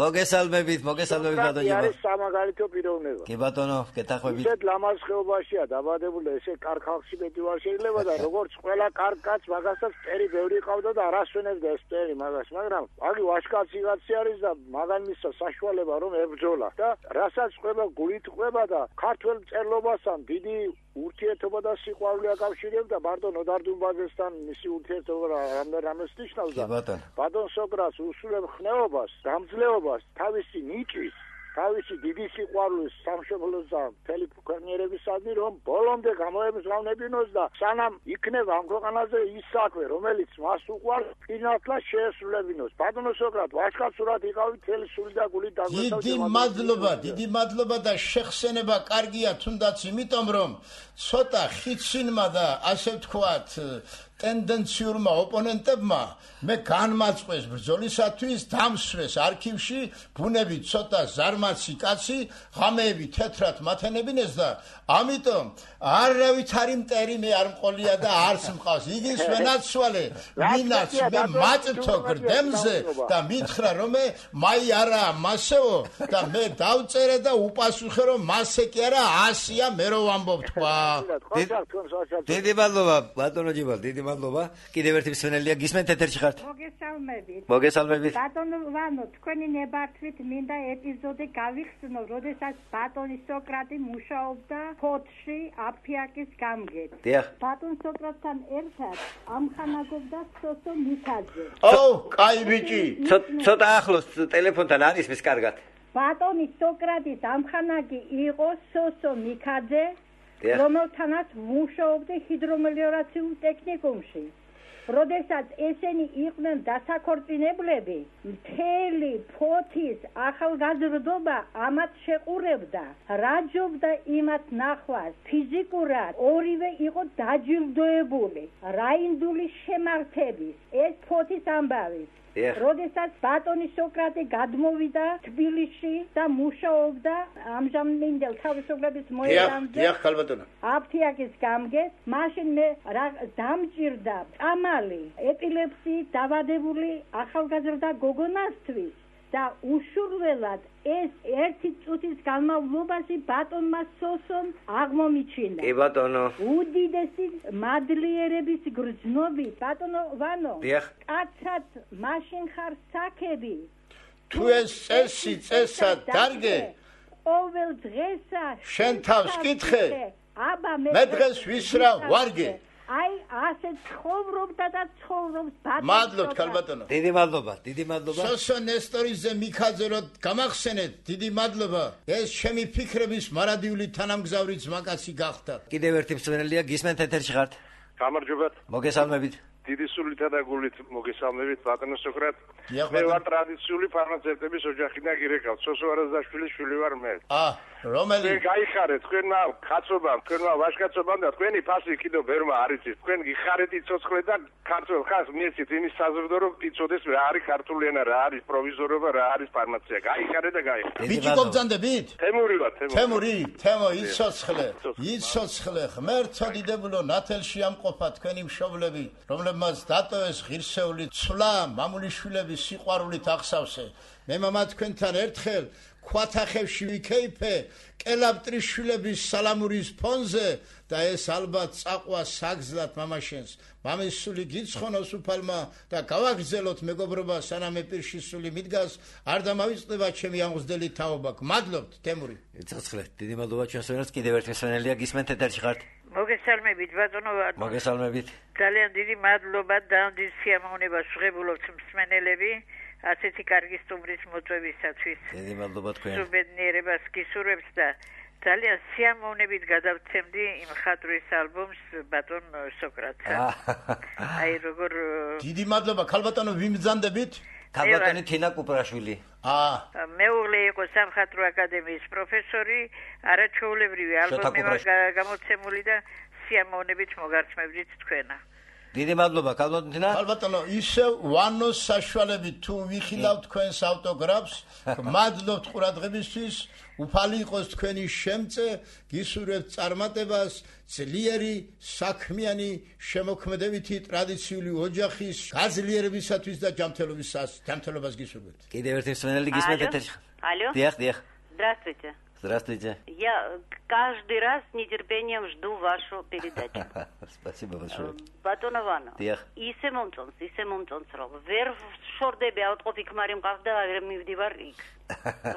მოგესალმებით ბატონო ჯება
არის სამაგალითო პიროვნება
კი ბატონო გეთახვებით
ისეთ ლამაზ ხეობაშია დაბადებული ესე კარგ ხალხში მეტი ვარ შეიძლება და როგორც ყველა კარგ კაცს მაგასაც წერი ბევრი ყავდა და არასვენებდა ეს წერი მაგას მაგრამ აგი ვაშკაცი კაცი არის და მაგან მისცა საშუალება რომ ებრძოლა და რასაც ყვება გულით ყვება და ქართველ მწერლობასთან დიდი ურთიერთობა და სიყვარული აკავშირებდა ბატონ ოდარდუნბაძესთან მისი ურთიერთობა რამეს ნიშნავს და ბატონ სოკრატს უსულებ ხნეობას, გამძლეობას, თავისი ნიჭის, თავისი დიდი სიყვარულის სამშობლოს და მთელი ქვეყნიერებისადმი რომ ბოლომდე გამოემზღავნებინოს და სანამ იქნება ამ ქვეყანაზე ის საქმე რომელიც მას უყვარს ფინალურად შეესრულებინოს. ბატონო სოკრატ ვაშკაცურად იყავით მთელი სული და გულით დაგვესწავით.
დიდი მადლობა და შეხსენება კარგია თუნდაც იმიტომ რომ ცოტა ხიცინმა და ასე ვთქვათ ტენდენციურმა ოპონენტებმა მე განმაწყვეს ბრძოლისათვის დამსვეს არქივში ბუნები ცოტა ზარმაცი კაცი ღამეები თეთრად მათენებინეს და ამიტომ არავითარი მტერი მე არ მყოლია და არც მყავს იგის ვენაცვალე ვინაც მე მაწთო გრდემზე და მითხრა რომ მე მაი არა მასეო და მე დავწერე და უპასუხე რომ მასე კი არა 100-ია მე რო ვამბობ თქვა
დიდი მადლობა ბატონო ჯიბალ დიდი მადლობა კიდევ ერთი მსმენელია გისმენთ ეთერში ხართ მოგესალმებით
ბატონო ვანო თქვენი ნებართვით მინდა ეპიზოდი გავიხსნო როდესაც ბატონი სოკრატი მუშაობდა ფოთში აფიაკის გამგედ ბატონ სოკრატთან ერთად ამხანაგობდა სოსო მიქაძე
კაი ბიჭი
ცოტა ახლოს ტელეფონთან არის მის კარგად
ბატონი სოკრატის ამხანაგი იყო სოსო მიქაძე რომელთანაც მუშაობდა ჰიდრომელიორაციულ ტექნიკუმში. როდესაც ესენი იყვნენ დასაქორწინებლები, მთელი ფოთის ახალგაზრდობა ამათ შეყურებდა, რაჯობდა იმათ ნახვას. ფიზიკურად ორივე იყო დაჯილდოებული. რაინდული შემართების, ეს ფოთის ამბავი. როდესაც ბატონი სოკრატე გადმოვიდა თბილისში და მუშაობდა ამჟამინდელ თავისუფლების მოედანზე აფთიაკის გამგეს მაშინ მე დამჭირდა წამალი ეპილეფსიით დავადებული ახალგაზრდა გოგონასთვის და უშურველად ეს ერთი წუთის განმავლობაში ბატონმა სოსომ აღმომიჩინა.
კი ბატონო.
უდიდესი მადლიერების გრძნობით ბატონო ვანო. კაცად მაშინ ხარ საქები.
თუ ეს წესად დარგე.
ყოველ დღესა
შენ თავს კითხე.
აბა
მე დღეს ვისრა ვარგე.
აი ასე ცხოვრობდა და ცხოვრობს ბატონო.
მადლობთ ქალბატონო.
დიდი მადლობა.
სოსო ნესტორიძე მიქაძე რომ გამახსენეთ, დიდი მადლობა. ეს ჩემი ფიქრების მარადიული თანამგზავრიც მაკაცი გახდა.
კიდევ ერთი მსმენელია გისმენთ ეთერში ხართ.
გამარჯობათ.
მოგესალმებით.
დიდი სულითა და გულით მოგესალმებით ბატონო სოკრატ. მე ვარ ტრადიციული ფარმაცევტების ოჯახიდან გირეკავ. სოსო არაზაშვილის შვილი ვარ მე.
რომელი?
მე გაიხარეთ თქვენმა კაცობამ, თქვენმა ვაჟკაცობამ და თქვენი ფასი კიდევ ვერმა არის ის. თქვენ გიხარეთ იცოცხლე და ქართულ ხალხს მიეცით იმის საზრდო რომ იცოდეს რა არის ქართული ენა, რა არის პროვიზორობა, რა არის ფარმაცია. გაიხარეთ და გაიხარეთ.
ბიჭი გობძანდებით?
თემური ვარ,
თემო იცოცხლე ღმერთო დიდებულო ნათელში ამყოფა თქვენი მშობლები, რომლებმაც დატოვეს ღირსეული ცვლა მამულიშვილების სიყვარულით აღსავსე. მე მამა თქვენთან ერთხელ ქვათახევში ვიქეიფე კელაპტრიშვილების სალამურის ფონზე და ეს ალბათ წაყვა საგზლად მამაშენს. მამის სული გიცხონოს უფალმა და გავაგრძელოთ მეგობრობა სანამ ეპირში სული მიდგას არ დამავიწყდება ჩემი ამღზდელი თაობა. გმადლობთ თემური.
ცოცხლე დიდი მადლობა ჩვენს ვერას კიდევ ერთი მსმენელია გისმენთ ეთერში ხართ.
მოგესალმებით ბატონო
მოგესალმებით.
ძალიან დიდი მადლობა და დიდ სიამოვნებას ვღებულობთ მსმენელები ასეთი კარგი სტუმრის მოწვევისათვის.
დიდი მადლობა თქვენ.
სუბედნიერებას გისურვებთ და ძალიან სიამოვნებით გადავცემდი იმ ხატვის ალბომს ბატონ სოკრატს. აი როგორ
დიდი მადლობა ქალბატონო ვიმბრძანდებით.
ქალბატონი თინა კუპრაშვილი.
მეუღლე იყო სამხატვრო აკადემიის პროფესორი, არაჩვეულებრივი ალბომი გამოცემული და სიამოვნებით მოგარწმებდით თქვენა.
დიდი მადლობა, კალბატონო.
კალბატონო, ისე ვანოს საშუალებით თუ ვიხილავთ თქვენს ავტოგრაფს, მადლობთ ყურადღებისთვის, უფალი იყოს თქვენი შემწე, გისურვებთ წარმატებას, ძლიერი, საქმიანი, შემოქმედებითი ტრადიციული ოჯახის გაძლიერებისათვის და ჯანმრთელობას гисурвებთ.
Კიდევ ერთი მსმენელი გისმენთ ეთერში.
Алло.
Диახ.
Здравствуйте.
Здравствуйте.
Я каждый раз с нетерпением жду вашу передачу.
Спасибо большое.
Батон Иванов.
Диახ.
ისე მომწონს რომ ვერ შორდები ავტყოფი ქმარი მყავდა აღარ მივდივარ იქ.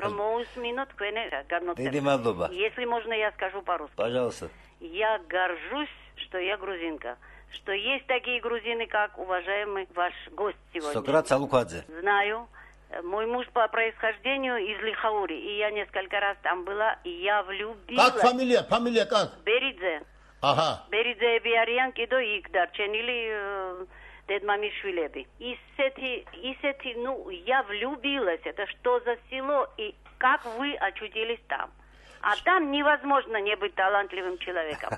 Რომ მოусმინო თქვენი განმოწერა.
დიდი მადლობა.
Если можно я скажу по-русски.
Пожалуйста.
Я горжусь, что я грузинка. Что есть такие грузины, как уважаемый ваш гость сегодня.
Сократ Салукадзе.
Знаю. Мой муж по происхождению из Лихаури, и я несколько раз там была, и я влюбилась.
Как фамилия? Фамилия как?
Беридзе.
Ага.
Беридзе Биариян кидо их дарченили дедмамишвилеби. Исети, ну, я влюбилась. Это что за село, и как вы очутились там? А там невозможно не быть талантливым человеком.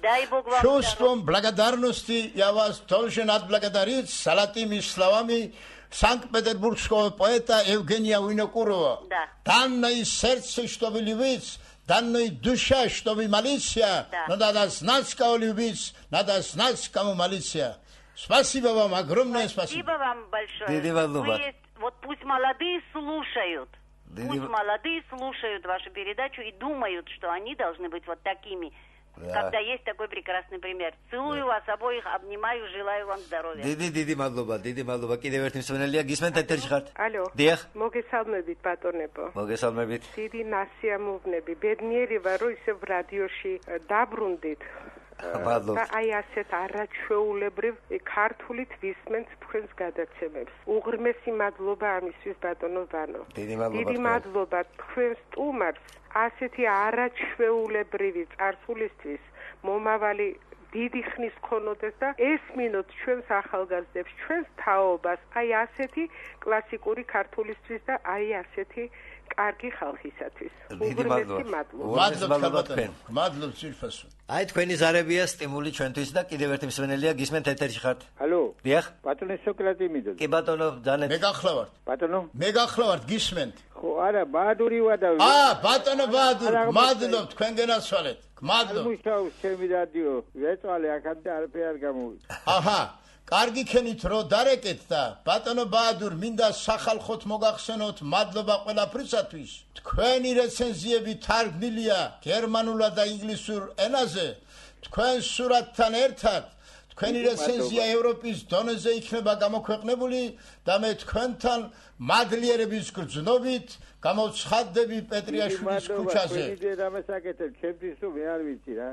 Дай Бог вам
чувством благодарности я вас должен отблагодарить салатими словами Санкт-Петербургского поэта Евгения Винокурова.
Да.
Данное сердце, что вы любите, данная душа, что вы молитесь,
да.
Надо знать, кого любить, надо знать, кому молиться. Спасибо вам, огромное спасибо.
Спасибо вам большое. Вот пусть молодые слушают. Пусть молодые слушают вашу передачу и думают, что они должны быть вот такими, когда есть такой прекрасный пример. Целую вас обоих, обнимаю, желаю вам здоровья.
დიდი მადლობა. კიდევ ერთი მსმენელია, გისმენთ ეთერში ხართ?
Алло.
დიახ.
მოგესალმებით, ბატონებო.
მოგესალმებით.
დიდი ნასიამოვნები. ბედნიერი ვარ, რომ ისევ რადიოში დაბრუნდით. და აი ასეთ არაჩვეულებრივ ქართულით ვისმენთ თქვენს გადაცემებს. უღრმესი მადლობა ამისთვის, ბატონო ვანო.
დიდი
მადლობა თქვენს სტუმარს ასეთი არაჩვეულებრივი წარსულისთვის მომავალი დიდი ხნის ქონოდეს და ესმინოთ ჩვენს ახალგაზრდებს, ჩვენს თაობას, აი ასეთი კლასიკური ქართულისთვის და აი ასეთი კარგი ხალხისათვის.
დიდი მადლობა.
მადლობთ ძირფასო.
აი თქვენი ზარებია სტიმული ჩვენთვის და კიდევ ერთი მსმენელია, გისმენთ ეთერში ხართ?
Алло.
დიახ.
ბატონო სოკრატე მიდო.
კი ბატონო, ძალიან.
მე გახლავართ.
ბატონო.
მე გახლავართ, გისმენთ.
ხო, არა, ბაადური ვადა.
ბატონო ბაადურ, მადლობთ თქვენ გენაცვალეთ. მადლობთ.
მუშაობს ჩემი რადიო. ვეწვალე აქამდე არაფერი არ გამოვიდა.
აჰა. კარგი ქენით რო დარეკეთ და ბატონო ბაადურ მინდა სახალხოთ მოგახსენოთ მადლობა ყველაფრისათვის. თქვენი რეცენზიები თარგმნილია გერმანულად და ინგლისურ ენაზე. თქვენ სურათთან ერთად თქვენი რეცენზია ევროპის დონეზე იქნება გამოქვეყნებული და მე თქვენთან მადლიერების გრძნობით გამოცხადდები პეტრიაშვილის ქუჩაზე.
ჩემთვის თუ მე არ ვიცი რა.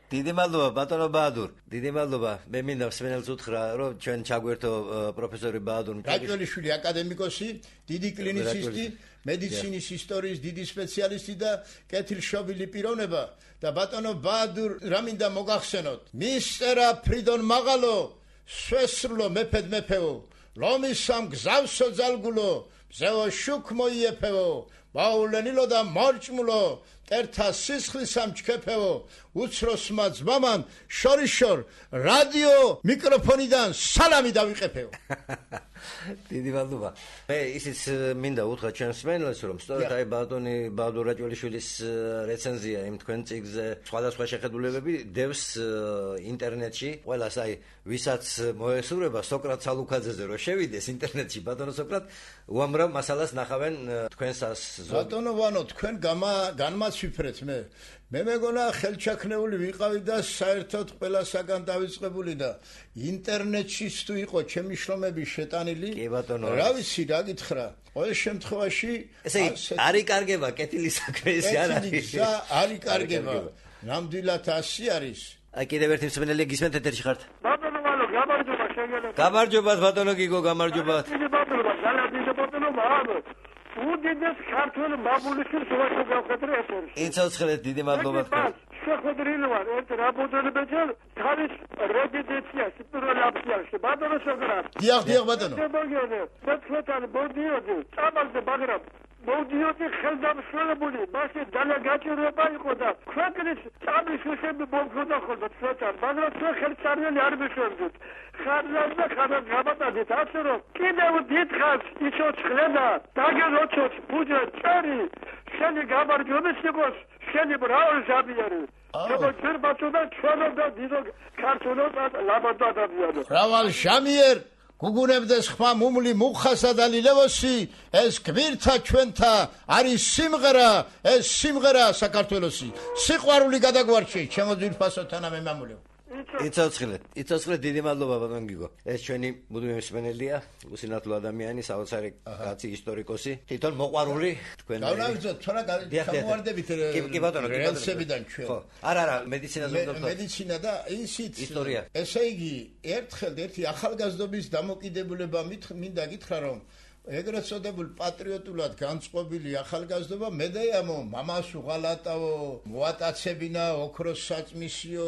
დიდი მადლობა ბატონო ბაადურ. დიდი მადლობა. მე მინდა მსმენელს უთხრა, რომ ჩვენ ჩაგვერთო პროფესორი ბაადურ
რაჭველიშვილი აკადემიკოსი, დიდი კლინიცისტი, მედიცინის ისტორიის დიდი სპეციალისტი და კეთილშობილი პიროვნება და ბატონო ბაადურ რა მინდა მოგახსენოთ. მისტერა ფრიდონ მაღალო, სვესრულო მეფედ მეფეო, ლომისამ გზავსო ძალგულო, მზეო შუქ მოიეფეო, ბაულენილო და მორჭმულო, ერთა სისხლისამ ჩქეფეო, უცროსმა ძმამან შორიშორ რადიო მიკროფონიდან სალამი დავიყეფეო.
დიდი მადლობა. მე ისიც მინდა უთხრა ჩვენს მსმენელს, რომ სწორედ აი ბატონი ბაადურ რაჭველიშვილის რეცენზია იმ თქვენ წიგნზე სხვადასხვა შეხედულებები დევს ინტერნეტში. ყველას აი ვისაც მოესურვება სოკრატ სალუქაძეზე რომ შევიდეს ინტერნეტში ბატონო სოკრატ უამრავ მასალას ნახავენ თქვენსას.
ბატონო ვანო თქვენ განმაცვიფრეთ მე. მე მეგონა ხელჩაქნეული ვიყავი და საერთოდ ყველასაგან დავიწყებული და ინტერნეტში თუ იყო ჩემი შრომები შეტანილი.
კი ბატონო.
რა ვიცი რა გითხრა. ყოველ შემთხვევაში
ესე არ იკარგება კეთილი საქმე ეს არ არის.
არ იკარგება. ნამდვილად ასე არის.
აი კიდევ ერთი მსმენელი გისმენთ ეთერში ხართ?
ბატონო ვანო, გამარჯობა შეგეძლო.
გამარჯობათ ბატონო გიგო, გამარჯობათ.
ბატონო, ძალიან ბატონო ვანო. უდიდეს ქართული ბაბულიშვილს ვაშო გავხეთრე ეთერში.
იცოცხლეთ, დიდი მადლობა თქვენ.
შეხვედრილი ვარ ერთ რაბოდონებეჭე თავის რეზიდენციაში პირველ აფსიაში ბატონო სოკრატ.
დიახ ბატონო.
მოგიოდე, ცოტა მოდიოდი, წამალზე მაგრამ
მოდიოდი ხელდამსხმელებული მასე დანაგაჭირება იყო და ქვეყნის წამის უსები მომხოდა ხოლმე ცოტა მაგრამ თქვენ ხელწარიელი არ მისვენდით ხარლას და ხარლას გამატადით ასე რომ კიდევ დიდხანს იცოცხლენა დაგეროჩოც ბუჯა წერი შენი გამარჯვების იყოს შენი ბრავი ზაბიარი აბა ჩერბაჭოდა ჩვენო და დიდო ქართულო ლაბადო ადამიანო
რავალ შამიერ გუგუნებდეს ხმა მუმლი მუხასა და ლილევოსი ეს გვირთა ჩვენთა არის სიმღერა ეს სიმღერა საქართველოსი სიყვარული გადაგვარჩი ჩემო ძვირფასო თანამე მამულო
იცოცხლეთ დიდი მადლობა ბატონ გიგო ეს ჩვენი მუდმივი მსმენელია უსინათლო ადამიანი საოცარი კაცი ისტორიკოსი თვითონ მოყვარული თქვენ
დავნავიძოთ თორა გამოვარდებით
კი ბატონო
რელსებიდან ჩვენ
ხო არა მედიცინაზე ვდობთ
მედიცინა და ისიც
ისტორია
ესე იგი ერთხელ ერთი ახალგაზრდობის დამოკიდებულება მინდა გითხრა რომ ეგრეთ წოდებულ პატრიოტულად განწყობილი ახალგაზრდობა მედეამო მამას უღალატავო მოატაცებინა ოქროს საწმისიო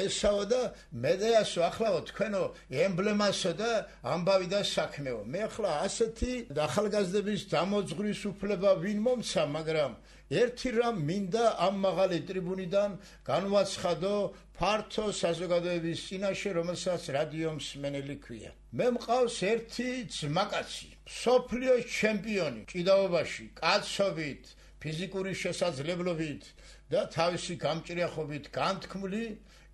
ესაო და მედეასო ახლავო თქვენო ემბლემასო და ამბავი და საქმეო მე ახლა ასეთი ახალგაზრდების დამოძღვრის უფლება ვინ მომცა მაგრამ ერთი რამ მინდა ამ მაღალი ტრიბუნიდან განვაცხადო ფართო საზოგადოების წინაშე რომელსაც რადიო მსმენელი ქვია მე მყავს ერთი ძმაკაცი სოფლიოს ჩემპიონი ჭიდაობაში კაცობით ფიზიკური შესაძლებლობით და თავისი გამჭრიახობით განთქმული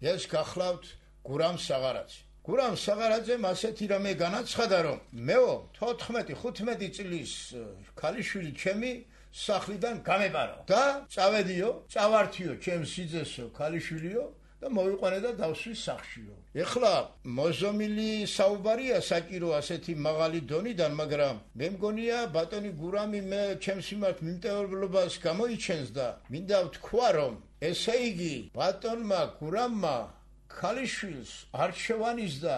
ეს გახლავთ გურამ საღარაძე გურამ საღარაძემ ასეთი რამე განაცხადა რომ მეო 14-15 წლის ქალიშვილი ჩემი სახლიდან გამეპარო და წავედიო წავართიო ჩემ სიძესო ქალიშვილიო და მოვიყვანე და დავსვი სახლშიო ეხლა მოზომილი საუბარია საჭირო ასეთი მაღალი დონიდან მაგრამ მე მგონია ბატონი გურამი მე ჩემს მიმართ მიმტევრობას გამოიჩენს და მინდა ვთქვა რომ ესე იგი ბატონმა გურამმა ქალიშვილს არჩევანის და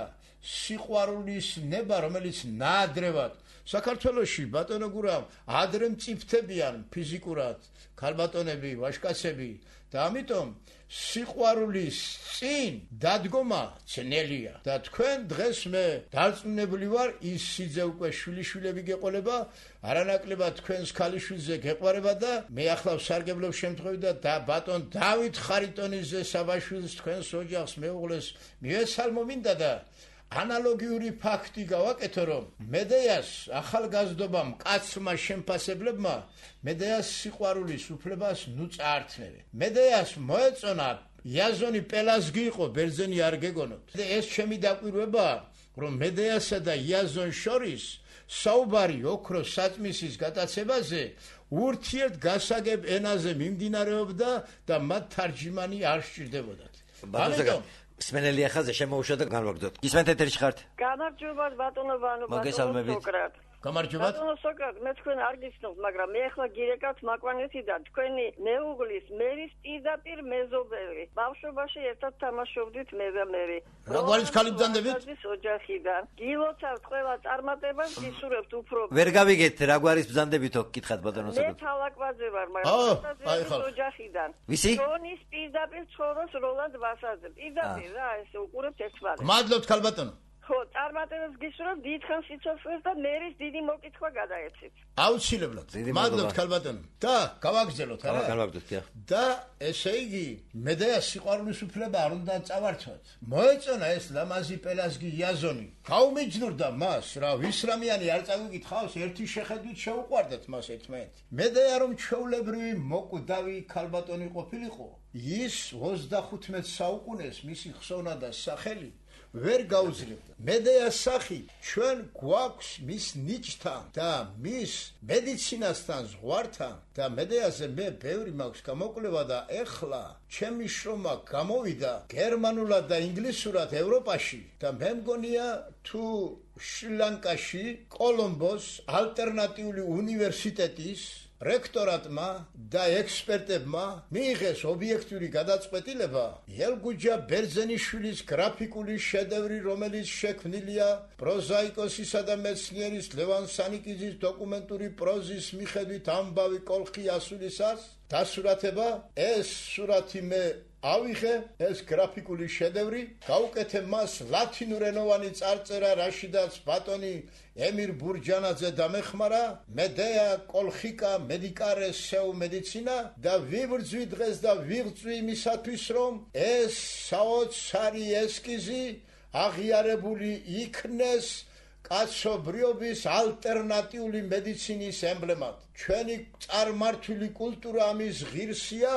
სიყვარულის ნება რომელიც ნაადრევად საქართველოში ბატონო გურამ ადრე მწიფთებიან ფიზიკურად ქალბატონები ვაჟკაცები და ამიტომ სიყვარულის წინ დადგომა ძნელია და თქვენ დღეს მე დარწმუნებული ვარ ის სიძე უკვე შვილიშვილები გეყოლება არანაკლებად თქვენს ქალიშვილზე გეყვარება და მე ახლა ვსარგებლობ შემთხვევით და ბატონ დავით ხარიტონიძე საბაშვილს თქვენს ოჯახს მეუღლეს მივესალმო მინდა და ანალოგიური ფაქტი გავაკეთო რომ მედეას ახალგაზრდობამ კაცმა შემფასებლებმა მედეას სიყვარულის უფლებას ნუ წაართმევენ მედეას მოეწონა იაზონი პელაზგი იყო ბერძენი არ გეგონოთ ეს ჩემი დაკვირვებაა რომ მედეასა და იაზონ შორის საუბარი ოქროს საწმისის გატაცებაზე ურთიერთ გასაგებ ენაზე მიმდინარეობდა და მათ თარჯიმანი არ სჭირდებოდათ ამიტომ
სმენელი ახალზე შემოუშვა და განვაგრძოთ. ისმენთ ეთერში ხართ?
გამარჯობა ბატონო
მოგესალმებით.
გამარჯობა.
ბატონო სოკრატ, მე თქვენ არ გიცნობთ, მაგრამ მე ახლა გირეკავთ მაკვანეთიდან თქვენი მეუღლის მერის პირდაპირ მეზობელი. ბავშვობაში ერთად თამაშობდით მე და მერი.
რაგვარის ხალი ბრძანდებით?
ოჯახიდან. გილოცავთ ყველა წარმატებას, გისურვებთ უფრო.
ვერ გავიგეთ რაგვარის ბრძანდებითო გითხათ ბატონო სოკრატ.
მე თალაკვაძე ვარ, მაგრამ ოჯახიდან.
ვისი?
ტონის პირდაპირ ცხოვრობს როლანდ ვასაძე. პირდაპირ რა, ესე უყურებთ ერთმანეთს.
მადლობთ ხალბატონო.
ხო, წარმატებას გისურვებთ დიდხანს სიცოცხლეს და მერის დიდი მოკითხვა გადაეცით.
აუცილებლად. მადლობთ ხალბატონო. და გავაგრძელოთ არა?
გავაგრძელოთ, დიახ.
და ესე იგი, მედეას სიყვარულის უფლება არ უნდა წავართვათ. მოეწონა ეს ლამაზი პელაზგი იაზონი. გაუმიჯნურდა მას, რა ვისრამიანი არ წავიკითხავს, ერთი შეხედვით შეუყვარდათ მას ერთმანეთს. მედეა რომ ჩვეულებრივი მოკვდავი ხალბატონი ყოფილიყო, ის 25 საუკუნეს მისი ხსოვნა და სახელი ვერ გაუძლებდა. მედეას სახი ჩვენ გვაქვს მის ნიჭთან და მის მედიცინასთან ზღვართან და მედეაზე მე ბევრი მაქვს გამოკვლევა და ეხლა ჩემი შრომა გამოვიდა გერმანულად და ინგლისურად ევროპაში და მე მგონია თუ შრი-ლანკაში კოლომბოს ალტერნატიული უნივერსიტეტის რექტორატმა და ექსპერტებმა მიიღეს ობიექტური გადაწყვეტილება ელგუჯა ბერძენიშვილის გრაფიკული შედევრი რომელიც შექმნილია პროზაიკოსისა და მეცნიერის ლევან სანიკიძის დოკუმენტური პროზის მიხედვით ამბავი კოლხი ასულისას დასურათება ეს სურათი მე ავიღე ეს გრაფიკული შედევრი, გავუკეთე მას ლათინურენოვანი წარწერა, რაშიდაც ბატონი ემირ ბურჯანაძე დამეხმარა, მედეა კოლხიკა მედიკარე სეუ მედიცინა და ვიბრძვი დღეს და ვიღწვი იმისათვის, რომ ეს საოცარი ესკიზი აღიარებული იქნეს კაცობრიობის ალტერნატიული მედიცინის ემბლემად. ჩვენი წარმართული კულტურა ამის ღირსია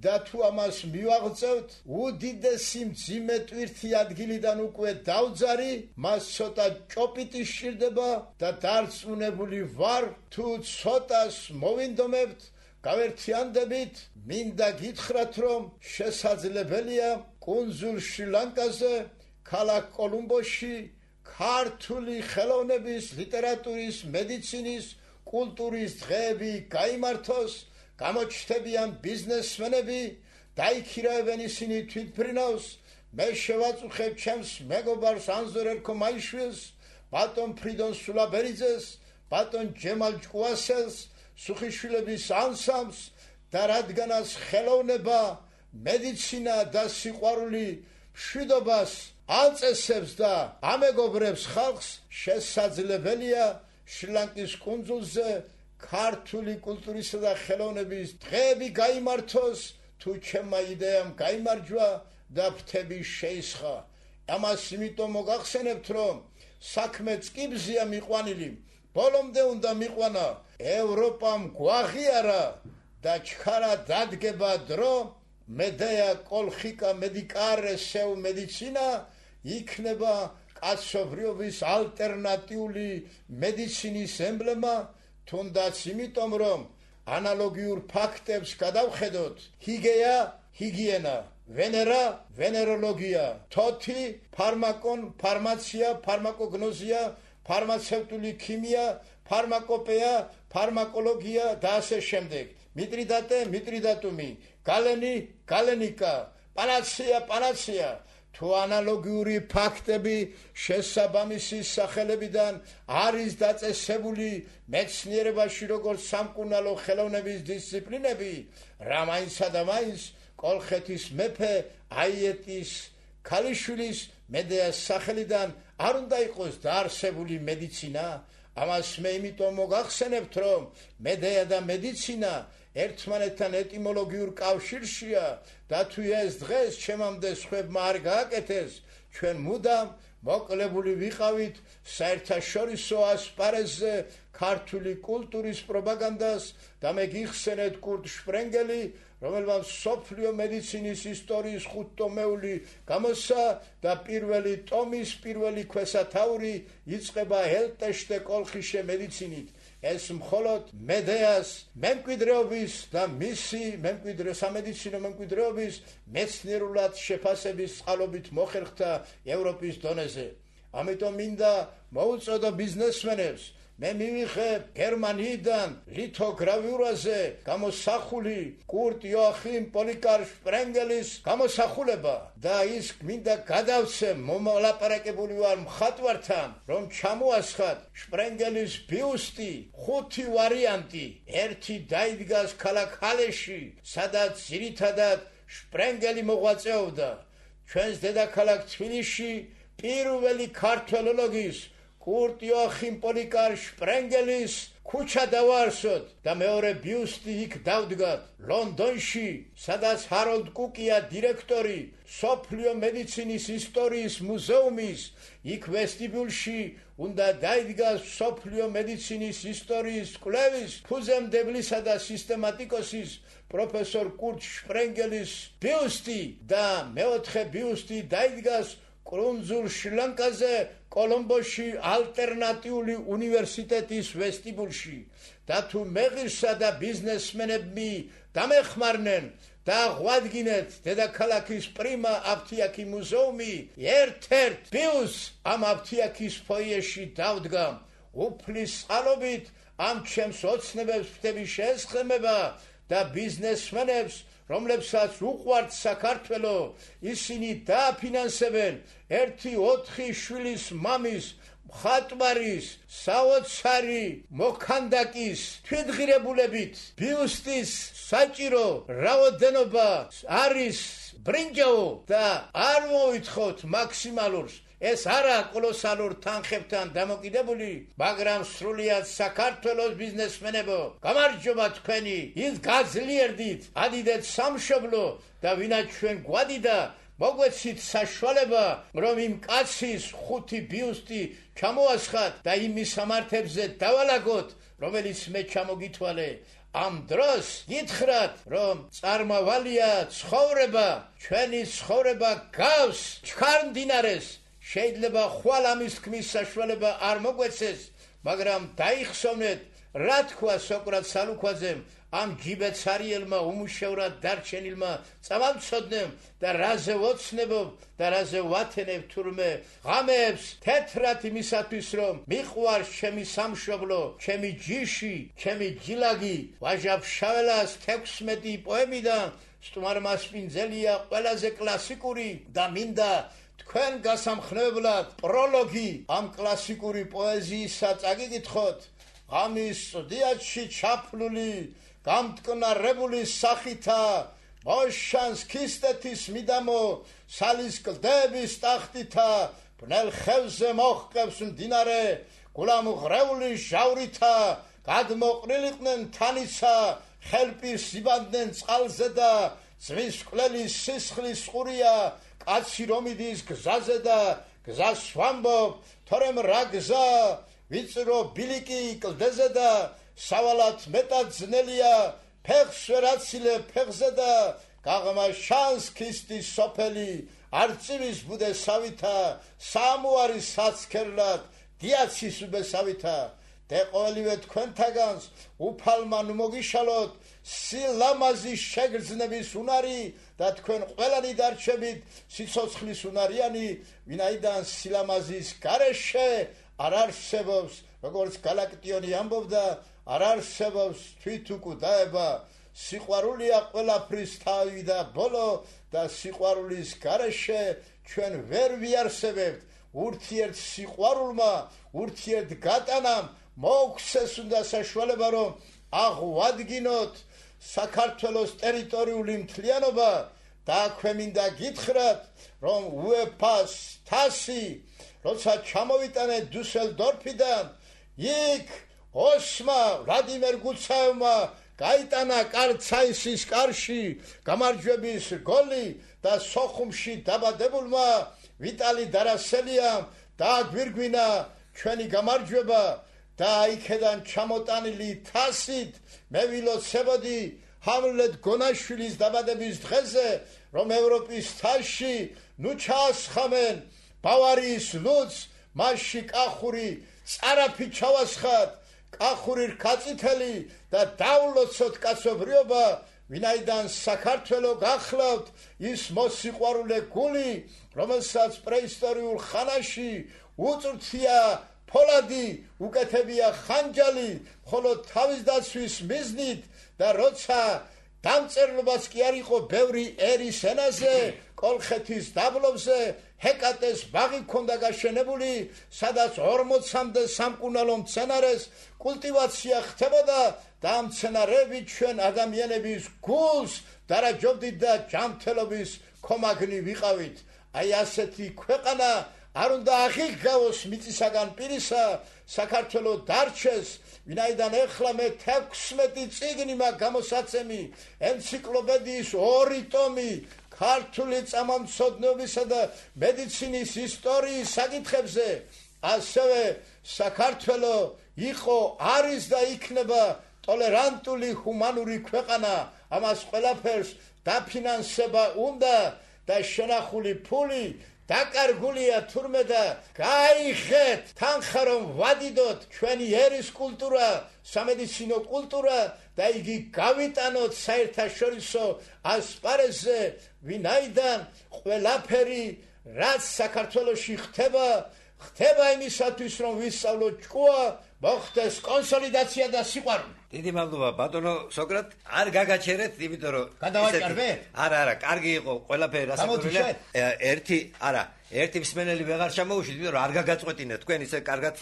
და თუ ამას მივაღწევთ, უდიდესი მძიმე ტვირთი ადგილიდან უკვე დავძარი, მას ცოტა ჭოპიტი სჭირდება და დარწმუნებული ვარ, თუ ცოტას მოვინდომებთ, გავერთიანდებით, მინდა გითხრათ, რომ შესაძლებელია კუნძულ შრი-ლანკაზე, ქალაქ კოლუმბოში ქართული ხელოვნების, ლიტერატურის, მედიცინის, კულტურის დღეები გაიმართოს, გამოჩნდებიან ბიზნესმენები, დაიქირავებენ ისინი თვითმფრინავს, მე შევაწუხებ ჩემს მეგობარს ანზორ ერქომაიშვილს, ბატონ ფრიდონ სულაბერიძეს, ბატონ ჯემალ ჭკუასელს, სუხიშვილების ანსამს და რადგანაც ხელოვნება, მედიცინა და სიყვარული მშვიდობას აწესებს და ამეგობრებს ხალხს, შესაძლებელია შრი-ლანკის კუნძულზე ქართული კულტურისა და ხელოვნების დღეები გაიმართოს, თუ ჩემმა იდეამ გაიმარჯვა და ფრთები შეისხა. ამას იმიტომ მოგახსენებთ, რომ საქმე წკიბზეა მიყვანილი, ბოლომდე უნდა მიყვანა, ევროპამ გვაღიარა და ჩქარა დადგება დრო, მედეა კოლხიკა მედიკარე სეუ მედიცინა იქნება კაცობრიობის ალტერნატიული მედიცინის ემბლემა, თუნდაც იმიტომ, რომ ანალოგიურ ფაქტებს გადავხედოთ, ჰიგეა, ჰიგიენა, ვენერა, ვენეროლოგია, თოთი, ფარმაკონ, ფარმაცია, ფარმაკოგნოზია, ფარმაცევტული ქიმია, ფარმაკოპეა, ფარმაკოლოგია და ასე შემდეგ. მიტრიდატე, მიტრიდატუმი, გალენი, გალენიკა, პანაცეა, პანაცეა. თუ ანალოგიური ფაქტები შესაბამისი სახელებიდან არის დაწესებული მეცნიერებაში როგორც სამკურნალო ხელოვნების დისციპლინები, რა მაინცსა და მაინც კოლხეთის მეფე აიეტის ქალიშვილის მედეას სახელიდან არ უნდა იყოს დაარსებული მედიცინა. ამას მე იმიტომ მოგახსენებთ, რომ მედეა და მედიცინა ერთმანეთთან ეტიმოლოგიურ კავშირშია და თუ ეს დღეს ჩემამდე სხვებმა არ გააკეთეს, ჩვენ მუდამ მოკლებული ვიყავით საერთაშორისო ასპარეზზე ქართული კულტურის პროპაგანდას და მე გიხსენეთ კურტ შპრენგელი, რომელმაც მსოფლიო მედიცინის ისტორიის 5 ტომეული გამოსცა და პირველი ტომის პირველი ქვესათაური იწყება ელტეშტე კოლხიშე მედიცინით. ეს მხოლოდ მედეას მემკვიდრეობის და მისი სამედიცინო მემკვიდრეობის მეცნიერულად შეფასების წყალობით მოხერხდა ევროპის დონეზე. ამიტომ მინდა მოუწოდო ბიზნესმენებს, მე მივიღე გერმანიიდან ლითოგრავიურაზე გამოსახული კურტ იოახიმ პოლიკარ შპრენგელის გამოსახულება და ის მინდა გადავცე მომალაპარაკებული ვარ მხატვართან, რომ ჩამოასხათ შპრენგელის ბიუსტი 5 ვარიანტი. ერთი დაიდგას ქალაქ ჰალეში, სადაც ძირითადად შპრენგელი მოღვაწეობდა. ჩვენს დედაქალაქ თბილისში პირველი ქართველოლოგის კურტ იოახიმ პოლიკარ შპრენგელის ქუჩა დავაარსოთ და მეორე ბიუსტი იქ დავდგათ. ლონდონში, სადაც ჰაროლდ კუკია დირექტორი სოფლიო მედიცინის ისტორიის მუზეუმის, იქ ვესტიბიულში უნდა დაიდგას სოფლიო მედიცინის ისტორიის კვლევის ფუძემდებლისა და სისტემატიკოსის პროფესორ კურტ შპრენგელის ბიუსტი და მეოთხე ბიუსტი დაიდგას კუნძულ შრი-ლანკაზე კოლომბოში ალტერნატიული უნივერსიტეტის ვესტიბულში და თუ მეღირსა და ბიზნესმენები დამეხმარნენ და ღვადგინეთ დედაქალაქის პრიმა აფთიაქი მუზეუმი, ერთ-ერთ ბიუსტს ამ აფთიაქის ფოიეში დავდგამ. უფლის წყალობით ამ ჩემს ოცნებებს ფრთები შეესხმება და ბიზნესმენებს, რომლებსაც უყვართ საქართველო, ისინი დააფინანსებენ 1-4 შვილის მამის მხატვარის, საოცარი მოქანდაკის თვითღირებულებით ბიუსტის საჭირო რაოდენობა არის ბრინჯაო და არ მოვითხოვთ მაქსიმალურს. ეს არა კოლოსალურ თანხებთან დამოკიდებული, მაგრამ სრულიად საქართველოს ბიზნესმენებო, გამარჯობა თქვენი, ის გაძლიერდით, ადიდეთ სამშობლო და ვინაც ჩვენ გვადიდა, მოგვეცით საშუალება, რომ იმ კაცის 5 ბიუსტი ჩამოასხათ და იმ მისამართებზე დავალაგოთ, რომელიც მე ჩამოგითვალე. ამ დროს გითხრათ, რომ წარმავალია ცხოვრება, ჩვენი ცხოვრება გავს ჩქარმდინარეს. შეიძლება ხვალ ამის თქმის საშუალება არ მოგვეცეს, მაგრამ დაიხსოვნეთ, რა თქვა სოკრატ სალუქვაძემ ამ ჯიბეცარიელმა უმუშევრად დარჩენილმა წამამცოდნემ და რაზე ვოცნებობ და რაზე ვათენებ თურმე ღამეებს თეთრად იმისათვის, რომ მიყვარს ჩემი სამშობლო, ჩემი ჯიში, ჩემი ჯილაგი. ვაჟა ფშაველას 16 პოემიდან სტუმარმასპინძელია ყველაზე კლასიკური და მინდა თქვენ გასამხნებლად პროლოგი ამ კლასიკური პოეზიისა წაგიკითხოთ. ღამის სტუდიაში ჩაფლული გამტკნარებული სახითა მოშანს ქისტეთის მიდამო სალის კლდების ტახტითა ბნელ ხევზე მოჰყევს მდინარე გულამღრეული ჟავრითა გადმოყრილიყვნენ თანიცა ხელპირს იბანდნენ წყალზე და ზღვის მკვლელის სისხლის ყურია კაცი რომ იდის გზაზე და გზას ვამბობ თორემ რა გზა ვიწრო ბილიკი კლდეზე და სავალად მეტად ძნელია ფეხს ვერაცილებ ფეხზე და გაღმა შანს ქისტის სოფელი არწივის ბუდესავითა სამუარის საცქერლად დიაცის უბესავითა და ყოველივე თქვენთაგანს უფალმა ნუ მოგიშალოთ სილამაზის შეგრძნების უნარი და თქვენ ყველანი დარჩებით სიცოცხლის უნარიანი, ვინაიდან სილამაზის გარეშე არ არსებობს, როგორც გალაქტიონი ამბობდა, არ არსებობს თვითუკვდაება. სიყვარულია ყველაფრის თავი და ბოლო და სიყვარულის გარეშე ჩვენ ვერ ვიარსებებთ. ურთიერთ სიყვარულმა, ურთიერთ გატანამ მოგვცეს უნდა საშუალება, რომ აღვადგინოთ საქართველოს ტერიტორიული მთლიანობა და ქვემინდა გითხრათ, რომ UEFA-ს თასი როცა ჩამოვიტანეთ დუსელდორფიდან, იქ ოსმა ვლადიმერ გუცაევმა გაიტანა კარცაისის კარში გამარჯვების გოლი და სოხუმში დაბადებულმა ვიტალი დარასელიამ დააგვირგვინა ჩვენი გამარჯვება და იქედან ჩამოტანილი თასით მე ვილოცებოდი ჰამლეტ გონაშვილის დაბადების დღეზე, რომ ევროპის თასში ნუ ჩაასხამენ ბავარიის ლუც, მასში კახური წარაფი ჩავასხათ, კახური რქაწითელი და დავლოცოთ კაცობრიობა, ვინაიდან საქართველო გახლავთ ის მოსიყვარულე გული, რომელსაც პრეისტორიულ ხანაში უწვრთია ფოლადი, უკეთებია ხანჯალი, მხოლოდ თავის დაცვის მიზნით და როცა დამწერლობაც კი არ იყო ბევრი ერის ენაზე, კოლხეთის დაბლობზე ჰეკატეს ბაღი ქონდა გაშენებული, სადაც 40-მდე სამკურნალო მცენარეს კულტივაცია ხდებოდა და ამ მცენარებით ჩვენ ადამიანების გულს დარაჯობდით და ჯანმრთელობის კომაგნი ვიყავით. აი ასეთი ქვეყანა არ უნდა აღიდგავოს მიწისაგან პირისა, საქართველო დარჩეს, ვინაიდან ეხლა მე 16 წიგნი მაქვს გამოსაცემი, ენციკლოპედიის 2 ტომი ქართული წამამცოდნეობისა და მედიცინის ისტორიის საკითხებზე. ასევე საქართველო იყო, არის და იქნება ტოლერანტული ჰუმანური ქვეყანა. ამას ყველაფერს დაფინანსება უნდა და შენახული ფული დაკარგულია თურმე და გაიხეთ თანხა რომ ვადიდოთ ჩვენი ერის კულტურა, სამედიცინო კულტურა და იგი გავიტანოთ საერთაშორისო ასპარეზზე, ვინაიდან ყველაფერი რაც საქართველოში ხდება იმისათვის რომ ვისწავლოთ ჭკუა, მოხდეს კონსოლიდაცია და სიყვარული.
დიდი მადლობა ბატონო სოკრატ. არ გაგაჩერეთ, იმიტომ რომ
გადავაჭარბე?
არა, კარგი იყო ყველაფერი რასაკვირველია. ერთი მსმენელი ვეღარ ჩამოუშვით, იმიტომ რომ არ გაგაწყვეტინეთ თქვენ ისე კარგად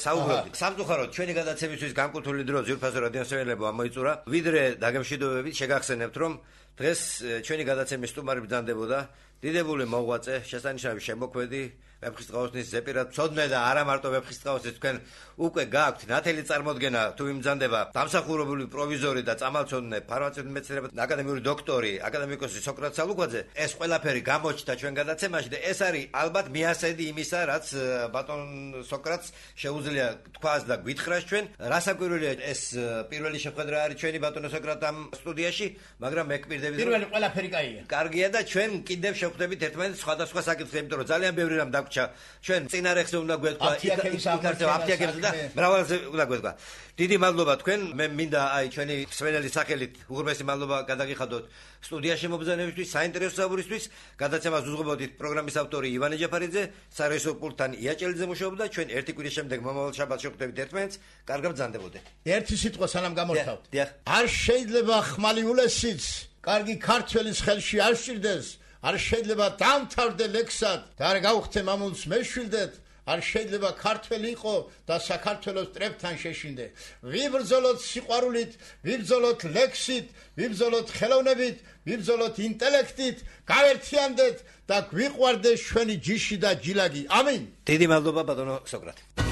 საუბრობთ. სამწუხაროდ ჩვენი გადაცემისთვის განკუთვნილი დრო ძვირფასო რადიოსმენელებო ამოიწურა. ვიდრე დაგემშვიდობებით შეგახსენებთ, რომ დღეს ჩვენი გადაცემის სტუმარი ბრძანდებოდა დიდებული მოღვაწე, შესანიშნავი შემოქმედი, ვეფხისტყაოსნის ზეპირად მცოდნე და არა მარტო ვეფხისტყაოსნის თქვენ უკვე გააქვთ ნათელი წარმოდგენა თუ იმძანდება დამსახურებული პროვიზორი და წამალცოდნე ფარმაცევტული მეცნიერებათა აკადემიური დოქტორი აკადემიკოსი სოკრატ სალუკვაძე ეს ყველაფერი გამოჩნდა ჩვენ გადაცემაში და ეს არის ალბათ მიასედი იმისა რაც ბატონ სოკრატს შეუძლია თქვას და გვითხრას ჩვენ რასაკვირველია ეს პირველი შეხვედრა არის ჩვენი ბატონო სოკრატ ამ სტუდიაში მაგრამ მე გპირდებით
პირველი ყველაფერი კაია
კარგია და ჩვენ კიდევ შევხვდებით ერთმანეთს სხვადასხვა საკითხებზე იმიტომ რომ ძალიან ბევრი რამ ჩვენ წინარეხზე უნდა გვეთქვა აფთიაქებზე და მრავალზე უნდა გვეთქვა. დიდი მადლობა თქვენ. მე მინდა ჩვენი მსმენელის სახელით უღრმესი მადლობა გადაგიხადოთ სტუდიაში მობრძანებისთვის, საინტერესო საუბრისთვის. გადაცემას უძღვებოდით პროგრამის ავტორი ივანე ჯაფარიძე, სარეჟისორო პულტთან იაჭელიძე მუშაობდა. ჩვენ ერთი კვირის შემდეგ მომავალ შაბათს შევხვდებით ერთმანეთს. კარგად ბრძანდებოდეთ.
ერთი სიტყვა სანამ გამორთავთ. არ შეიძლება ხმალი ულესიც, კარგი ქართველის ხელში არ სჭირდეს. არ შეიძლება დამთავრდე ლექსად და არ გავხდე მამულს მეშვილდეთ არ შეიძლება ქართველი იყო და საქართველოს ტრებთან შეშინდე ვიბრძოლოთ სიყვარულით ვიბრძოლოთ ლექსით ვიბრძოლოთ ხელოვნებით ვიბრძოლოთ ინტელექტით გავერთიანდეთ და გვიყვარდეს ჩვენი ჯიში და ჯილაგი ამინ
დიდი მადლობა ბატონო სოკრატე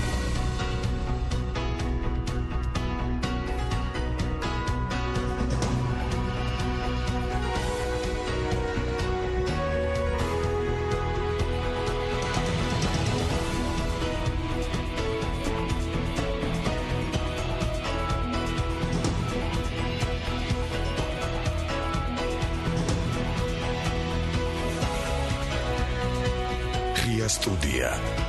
Студия.